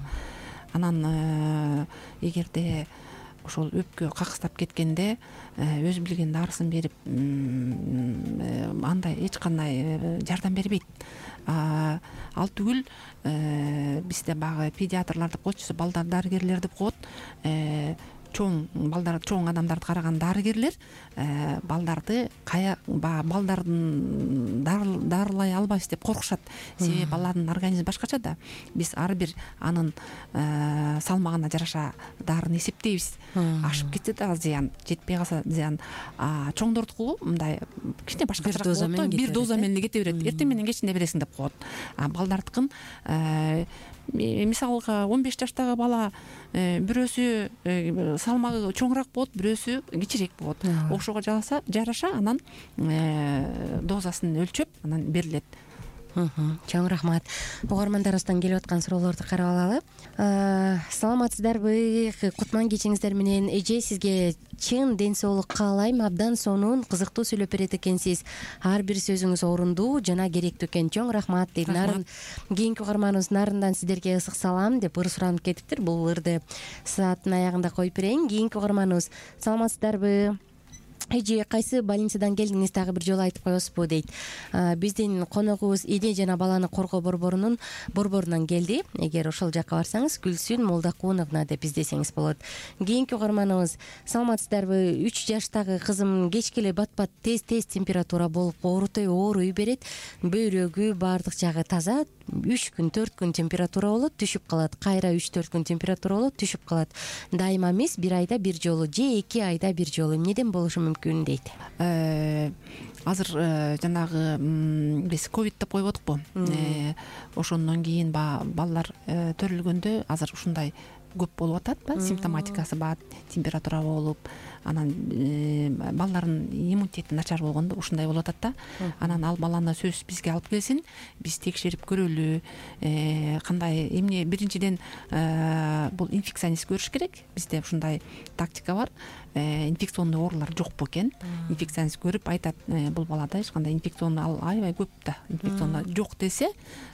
Анан эгерде ошол өпкө какыстап кеткенде өзү билген дарысын берип, андай эч кандай жардам бербейт. Ал түгүл бизде баягы педиатрлар деп коечу, балдар дарыгерлер деп коет. Чоң балдар, чоң адамдарды караган дарыгерлер балдарды кая балдардын дарылай албайбыз деп коркушат. Себеби баланын организми башкача да. Биз ар бир анын салмагына жараша дарыны эсептейбиз. Ашып кетсе да зыян, жетпей калса зыян. Чоңдордуку мындай кичине башкачараак болот, бир доза менен кете берет. Эртең менен кечинде бересиң деп коет. Балдардыкын мисалга он беш жаштагы бала бирөөсү салмагы чоңураак болот, бирөөсү кичирээк болот. Ошого жараша анан дозасын өлчөп анан берилет. Чоң рахмат. Угармандарыбыздан келип аткан суроолорду карап алалы. Саламатсыздарбы? Кутман кечиңиздер менен. Эже, сизге чын ден соолук каалайм. Абдан сонун, кызыктуу сүйлөп берет экенсиз. Ар бир сөзүңүз орундуу жана керектүү экен. Чоң рахмат дейт. Нарын кийинки угарманыбыз Нарындан сиздерге ысык салам деп ыр суранып кетиптир. Бул ырды сааттын аягында коюп берейин. Кийинки угарманыбыз саламатсыздарбы? Эже, кайсы больницадан келдиңиз, дагы бир жолу айтып коесузбу дейт. Биздин коногубуз Эне жана баланы коргоо борборунун борборунан келди. Эгер ошол жакка барсаңыз, Гүлсүн Молдокуновна деп издесеңиз болот. Кийинки угарманыбыз саламатсыздарбы? үч жаштагы кызым кечке эле бат-бат тез-тез температура болуп, оорутой ооруй берет. Бөйрөгү баардык жагы таза. үч күн, төрт күн температура болот, түшүп калат. Кайра үч төрт күн температура болот, түшүп калат. Дайыма эмес, бир айда бир жолу же эки айда бир жолу. Эмнеден болушу мүмкүн дейт. Азыр жанагы биз ковид деп коюп атпайбы? Ошондон кийин балдар төрөлгөндө азыр ушундай көп болуп атат да, симптоматикасы бар, температура болуп, анан балдардын иммунитети начар болгондо ушундай болуп атат да. Анан ал баланы сөзсүз бизге алып келсин, биз текшерип көрөлү. Кандай эмне, биринчиден бул инфекционист көрүш керек. Бизде ушундай тактика бар. Инфекционный оорулар жок бекен. Инфекционист көрүп айтат, бул балада эч кандай инфекционный ал аябай көп да. Инфекционный жок десе,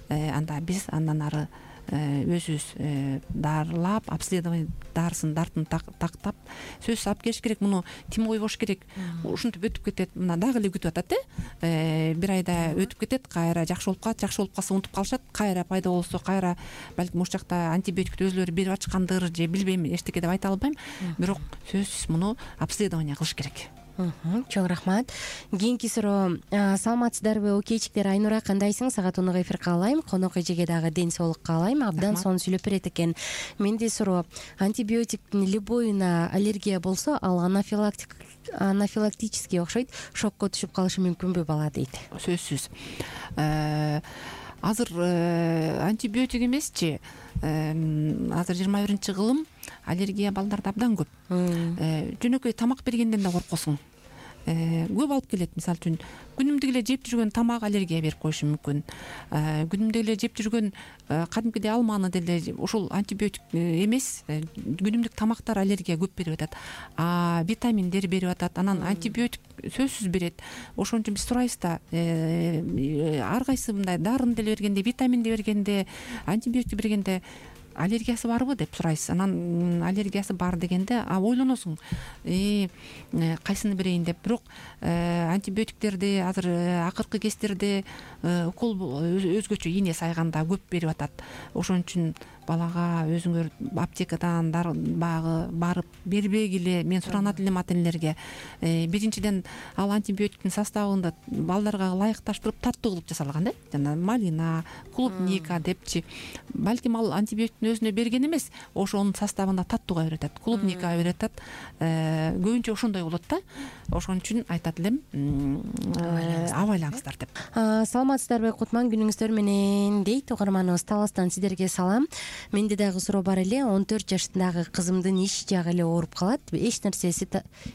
анда биз андан ары өзүбүз дарылап, обследование дарысын дартын тактап сөзсүз алып келиш керек. Муну тим койбош керек. Ушинтип өтүп кетет. Мына дагы эле күтүп атат э. Бир айда өтүп кетет, кайра жакшы болуп калат, жакшы болуп калса унутуп калышат, кайра пайда болсо кайра балким ошол жакта антибиотикти өзүлөрү берип ачкандыр же билбейм, эчтеке деп айта албайм. Бирок сөзсүз муну обследование кылыш керек. Чоң рахмат. Кийинки суроо, саламатсыздарбы окейчиктер? Айнура, кандайсың? Сага тонук эфир каалайм. Конок эжеге дагы ден соолук каалайм. Абдан сонун сүйлөп берет экен. Менде суроо, антибиотиктин любойуна аллергия болсо, ал анафилактик анафилактический окшойт, шокко түшүп калышы мүмкүнбү бала дейт. Сөзсүз. Азыр антибиотик эмесчи, азыр жыйырма биринчи кылым аллергия балдарда абдан көп. Жөнөкөй тамак бергенден да коркосуң. Көп алып келет. Мисалы үчүн күнүмдүк эле жеп жүргөн тамак аллергия берип коюшу мүмкүн. Күнүмдүк эле жеп жүргөн кадимкидей алманы деле ушул антибиотик эмес, күнүмдүк тамактар аллергия көп берип атат. А витаминдер берип атат. Анан антибиотик сөзсүз берет. Ошон үчүн биз сурайбыз да, ар кайсы мындай дарыны деле бергенде, витаминди бергенде, антибиотик бергенде аллергиясы барбы деп сурайсыз. Анан аллергиясы бар дегенде ойлоносуң, кайсыны берейин деп. Бирок антибиотиктерди азыр акыркы кездерде укол өзгөчө ийне сайганда көп берип атат. Ошон үчүн балага өзүңөр аптекадан багы барып бербегиле. Мен суранат элем ата-энелерге. Биринчиден ал антибиотиктин составында балдарга ылайыкташтырып таттуу кылып жасалган да. Жана малина, клубника депчи. Балким ал антибиотиктин өзүнө берген эмес, ошонун составында таттууга берет, клубника берет. Көбүнчө ошондой болот да. Ошон үчүн айтат элем, абайлаңыздар деп. Саламатсыздарбы Кутман, күнүңүздөр менен дейт угарманыбыз. Таластан сиздерге салам. Менде дагы суроо бар эле. он төрт жаштагы кызымдын иш жагы эле ооруп калат. Эч нерсеси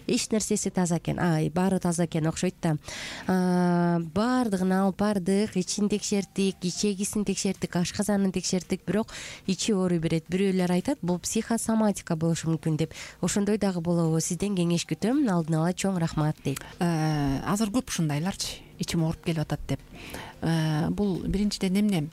эч нерсеси таза экен. Ай, баары таза экен окшойт да. Баардыгын алып бардык, ичин текшердик, ичегисин текшердик, ашказанын текшердик, бирок ичи ооруй берет. Бирөөлөр айтат, бул психосоматика болушу мүмкүн деп. Ошондой дагы болобу? Сизден кеңеш күтөм. Алдын ала чоң рахмат дейт. Азыр көп ушундайларчы, ичим ооруп келип атат деп. Бул биринчиден эмне?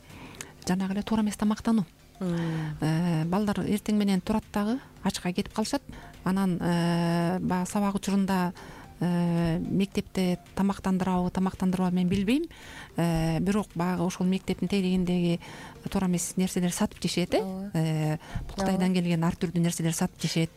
Жанагы эле туура эмес тамактануу. Балдар эртең менен турат дагы ачка кетип калышат. Анан баягы сабак учурунда мектепте тамактандырабы, тамактандырбабы мен билбейм. Бирок баягы ошол мектептин тегерегиндеги туура эмес нерселер сатып жешет, э. Бул Кытайдан келген ар түрдүү нерселер сатып жешет.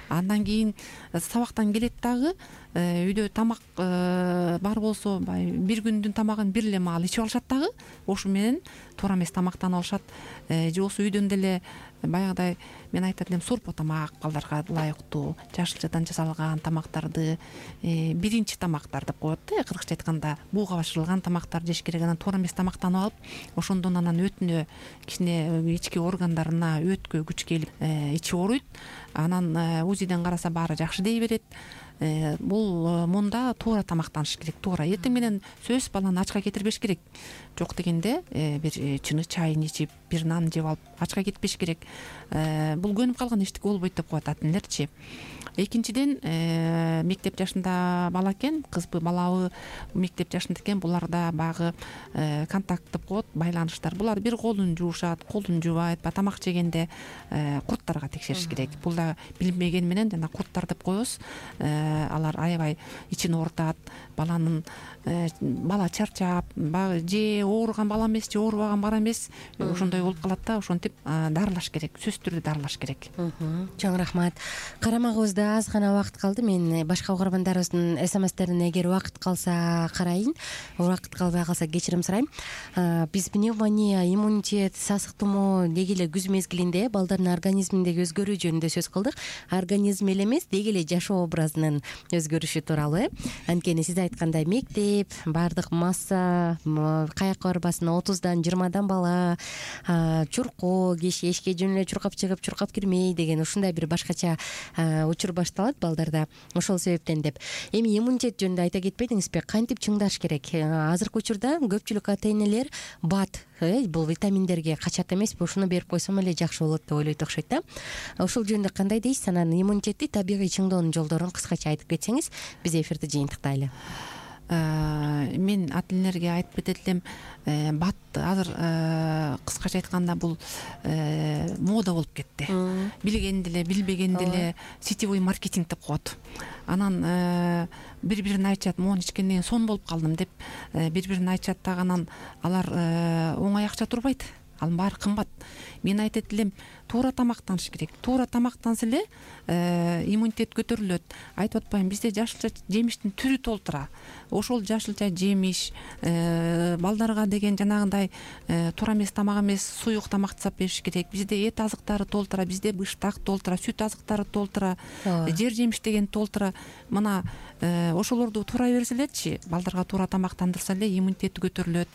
Андан кийин сабактан келет дагы үйдө тамак бар болсо, бир күндүн тамагын бир эле маал ичип алышат дагы. Ошо менен туура эмес тамактанып алышат. Же болсо үйдөн деле баягыдай мен айтат элем, сорпо тамак балдарга ылайыктуу, жашылчадан жасалган тамактарды, биринчи тамактар деп коет да, кыргызча айтканда бууга башырылган тамактар жеш керек. Анан туура эмес тамактанып алып, ошондон анан өтүнө, кичине ички органдарына өткө күч келип ичи ооруйт. Анан УЗИден караса баары жакшы дей берет. Бул мында туура тамактаныш керек. Туура эртең менен сөз баланы ачка кетирбеш керек. Жок дегенде бир чыны чайын ичип, бир нан жеп алып ачка кетпеш керек. Бул көнүп калган эчтеке болбойт деп коет ата-энелерчи. Экинчиден, мектеп жашында бала экен, кызбы балабы мектеп жашында экен, буларда багы контакт деп коет, байланыштар. Булар бир колун жуушат, колун жуубайт, тамак жегенде курттарга текшериш керек. Бул да билинбеген менен жана курттар деп коебуз. Алар аябай ичин оорутат, баланын бала чарчап, же ооруган бала эмес, же оорубаган бала эмес, ошондой болуп калат да. Ошентип дарылаш керек, сөзсүз түрдө дарылаш керек. Чоң рахмат. Карамагыбызда аз гана убакыт калды. Мен башка угармандарыбыздын смстерине эгер убакыт калса карайын, убакыт калбай калса кечирим сурайм. Биз пневмония, иммунитет, сасык тумоо деги эле күз мезгилинде балдардын организминдеги өзгөрүү жөнүндө сөз кылдык. Организм эле эмес, деги эле жашоо образынын өзгөрүшү тууралуу. Анткени сиз айткандай мектеп, баардык масса, каякка барбасын, отуздан жыйырмадан бала, чуркоо, киши эшикке жөн эле чуркап чыгып, чуркап кирмей деген ушундай бир башкача учур башталат балдарда. Ошол себептен деп. Эми иммунитет жөнүндө айта кетпедиңизби? Кантип чыңдаш керек? Азыркы учурда көпчүлүк ата-энелер бат, бул витаминдерге качат эмеспи, ушуну берип койсом эле жакшы болот деп ойлойт окшойт да. Ошол жөнүндө кандай дейсиз? Анан иммунитетти табигый чыңдоонун жолдорун кыскача айтып кетсеңиз, биз эфирди жыйынтыктайлы. Мен ата-энелерге айтып кетет элем, бат азыр кыскача айтканда бул мода болуп кетти. Билгенди эле, билбегенди эле сетевой маркетинг деп коет. Анан бири-бирине айтышат, могу ичкенден сон болуп калдым деп бири-бирине айтышат дагы. Анан алар оңой акча турбайт, анын баары кымбат. Мен айтат элем, туура тамактаныш керек. Туура тамактанса эле иммунитет көтөрүлөт. Айтып атпаймынбы, бизде жашылча жемиштин түрү толтура. Ошол жашылча жемиш балдарга деген жанагындай туура эмес тамак эмес, суюк тамак жасап бериш керек. Бизде эт азыктары толтура, бизде быштак толтура, сүт азыктары толтура, жер жемиш деген толтура. Мына ошолорду туура берсе элечи, балдарга туура тамактандырса эле иммунитети көтөрүлөт.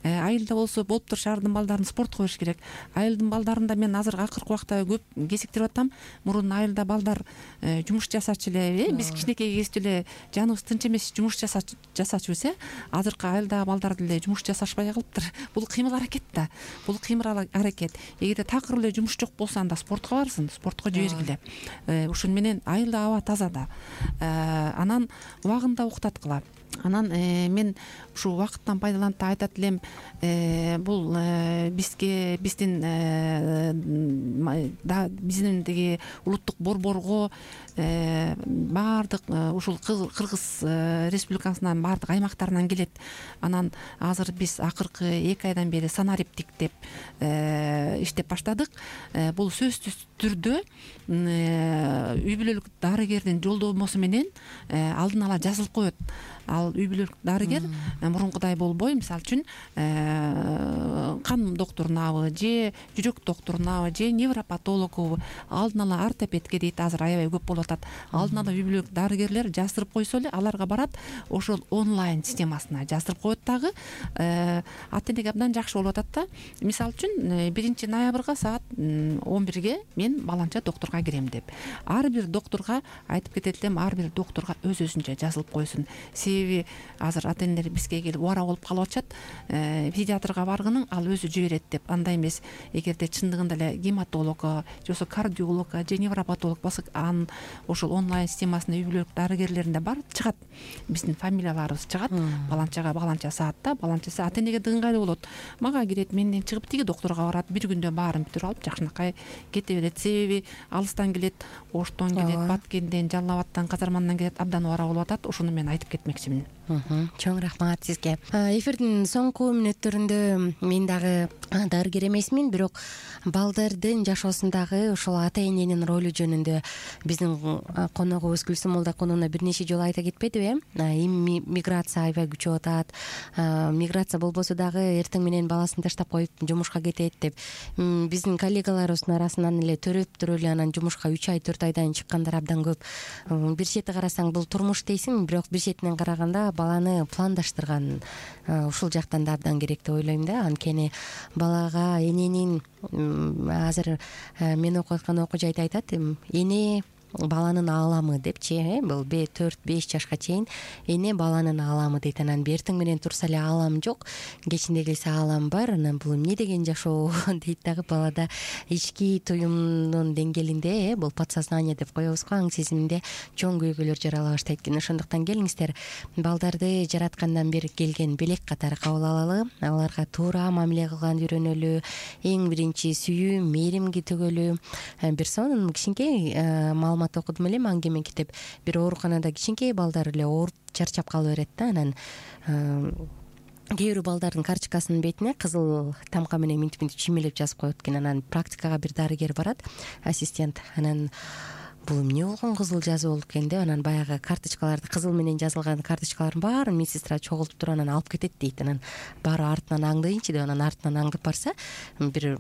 Айылда болсо болуп туруш ардын балдарын спортко бериш керек. Айылдын балдарында мен азыр акыркы убакта көп кесиктирип атам. Мурун айылда балдар жумуш жасачу эле, биз кичинекей кезде эле жаныбыз тынч эмес жумуш жасачубуз. Азыркы айылдагы балдар деле жумуш жасашпай калыптыр. Бул кыймыл аракет да. Бул кыймыл аракет. Эгерде такыр эле жумуш жок болсо, анда спортко барсын, спортко жибергиле. Ушун менен айылда аба таза да. Анан убагында уктаткыла. Анан мен ушу убакыттан пайдаланып айтат элем, бул бизге биздин биздин деги улуттук борборго баардык ушул Кыргыз Республикасынын баардык аймактарынан келет. Анан азыр биз акыркы эки айдан бери санариптик деп иштеп баштадык. Бул сөзсүз түрдө үй бүлөлүк дарыгердин жолдомосу менен алдын ала жазылып коет. Ал үй бүлөлүк дарыгер мурункудай болбой, мисалы үчүн кан доктурунабы же жүрөк доктурунабы же невропатологу, алдын ала ортопедке дейт, азыр аябай көп болуп атат. Алдын ала үй бүлөлүк дарыгерлер жаздырып койсо эле аларга барат, ошол онлайн системасына жаздырып коет дагы. Ата-энеге абдан жакшы болуп атат да. Мисалы үчүн биринчи ноябрга саат он бирге мен баланча доктурга кирем деп. Ар бир доктурга айтып кетет элем, ар бир доктурга өз-өзүнчө жазылып койсун. Себеби азыр ата-энелер бизге келип убара болуп калып атышат. Педиатрга баргының ал өзү жиберет деп. Андай эмес. Эгерде чындыгында эле гематологго, же болбосо кардиологго, же невропатолог болсо, анын ошол онлайн системасына үй бүлөлүк дарыгерлеринде бар чыгат. Биздин фамилияларыбыз чыгат. Баланчага баланча саатта, баланча саат ата-энеге ыңгайлуу болот. Мага кирет, менден чыгып тиги доктурга барат, бир күндө баарын бүтүрүп алып жакшынакай кете берет. Себеби алыстан келет, Оштон келет, Баткенден, Жалал Абадтан, Казармандан келет, абдан убара болуп атат. Ошону мен айтып кетмекчимин. Чоң рахмат сизге. Эфирдин соңку мүнөттөрүндө мен дагы дарыгер эмесмин, бирок балдардын жашоосундагы ошол ата-эненин ролу жөнүндө биздин коногубуз Гүлсүм Молдокунова бир нече жолу айта кетпедиби? Миграция аябай күчөп атат. Миграция болбосо дагы эртең менен баласын таштап коюп жумушка кетет деп. Биздин коллегаларыбыздын арасынан эле төрөп туруп эле анан жумушка үч ай төрт айдан чыккандар абдан көп. Бир чети карасаң бул турмуш дейсиң, бирок бир четинен караганда баланы пландаштырган ушул жактан да абдан керек деп ойлойм да. Анткени балага эненин азыр мен окуп аткан окуу жайда айтат, эне баланын ааламы депчи, бул төрт беш жашка чейин эне баланын ааламы дейт. Анан эртең менен турса эле аалам жок, кечинде келсе аалам бар. Анан бул эмне деген жашоо дейт дагы. Балада ички туюмдун деңгээлинде, бул подсознание деп коебузго, аң сезиминде чоң көйгөйлөр жарала баштайт экен. Ошондуктан келиңиздер, балдарды жараткандан бери келген белек катары кабыл алалы, аларга туура мамиле кылганды үйрөнөлү, эң биринчи сүйүү, мээримги төгөлү. Бир сонун кичинекей маалымат окудум эле, аңгеме китеп. Бир ооруканада кичинекей балдар эле ооруп чарчап кала берет да. Анан кээ бир балдардын карточкасынын бетине кызыл тамга менен минтип минтип чимелеп жазып коет экен. Анан практикага бир дарыгер барат, ассистент. Анан бул эмне болгон кызыл жазуу болуп экен деп анан баягы карточкаларды, кызыл менен жазылган карточкалардын баарын медсестра чогултуп туруп анан алып кетет дейт. Анан баары артынан аңдыйынчы деп анан артынан аңдып барса, бир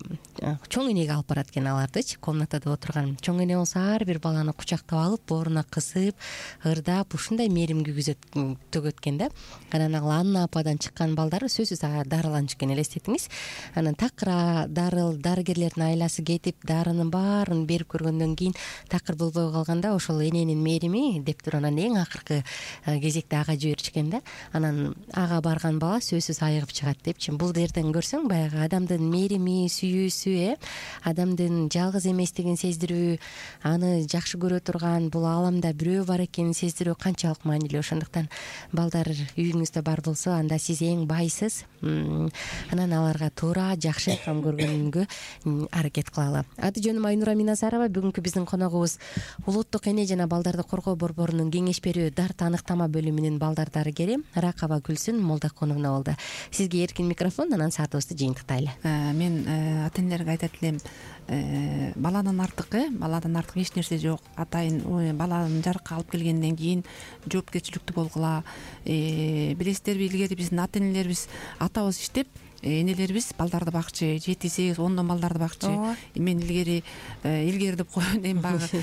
чоң энеге алып барат экен алардычы. Комнатада отурган чоң эне болсо ар бир баланы кучактап алып, бооруна кысып, ырдап, ушундай мээрим төгөт экен да. Анан ал Анна ападан чыккан балдар сөзсүз дарыланчу экен, элестетиңиз. Анан такыр дарыл дарыгерлердин айласы кетип, дарынын баарын берип көргөндөн кийин такыр болбой калганда ошол эненин мээрими деп туруп анан эң акыркы кезекте ага жиберишкен да. Анан ага барган бала сөзсүз айыгып чыгат депчи. Бул жерден көрсөң баягы адамдын мээрими, сүйүүсү, э адамдын жалгыз эместигин сездирүү, аны жакшы көрө турган, бул ааламда бирөө бар экенин сездирүү канчалык маанилүү. Ошондуктан балдар үйүңүздө бар болсо, анда сиз эң байсыз. Анан аларга туура, жакшы кам көргөнгө аракет кылалы. Аты жөнүм Айнура Миназарова. Бүгүнкү биздин коногубуз улуттук эне жана балдарды коргоо борборунун кеңеш берүү дарт аныктама бөлүмүнүн балдар дарыгери Ракаба Гүлсүн Молдокуновна болду. Сизге эркин микрофон, анан саатыбызды жыйынтыктайлы. Мен ата энелерге айтат элем, баладан артык, э баладан артык эч нерсе жок. Атайын баланы жарыкка алып келгенден кийин жоопкерчиликтүү болгула. Билесиздерби, илгери биздин ата энелерибиз, атабыз иштеп, энелерибиз балдарды бакчы, жети сегиз ондон балдарды бакчы. Мен илгери илгери деп коеюн, эми багы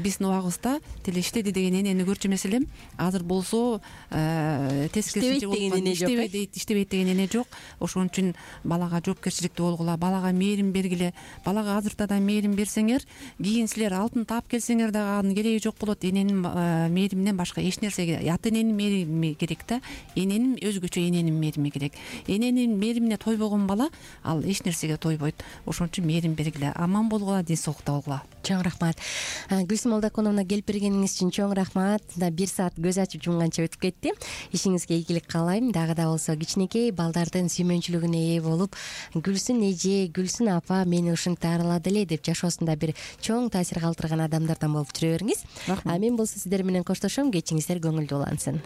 биздин убагыбызда тиле иштеди деген энени көрчү эмес элем. Азыр болсо тескерисинче иштебейт, иштебейт деген эне жок. Ошон үчүн балага жоопкерчиликтүү болгула, балага мээрим бергиле. Балага азырда да мээрим берсеңер, кийин силер алтын таап келсеңер дагы анын кереги жок болот. Эненин мээриминен башка эч нерсе, ата эненин мээрими керек да, эненин өзгөчө эненин мээрими керек. Эненин мээримине тойбогон бала ал эч нерсеге тойбойт. Ошон үчүн мээрим бергиле, аман болгула, ден соолукта болгула. Чоң рахмат. Гүлсүн Молдокуновна, келип бергениңиз үчүн чоң рахмат. Бир саат көз ачып жумганча өтүп кетти. Ишиңизге ийгилик каалайм. Дагы да болсо кичинекей балдардын сүймөнчүлүгүнө ээ болуп, Гүлсүн эже, Гүлсүн апа мени ушинтип арылады эле деп жашоосунда бир чоң таасир калтырган адамдардан болуп жүрө бериңиз. А мен болсо сиздер менен коштошом. Кечиңиздер көңүлдүү улансын.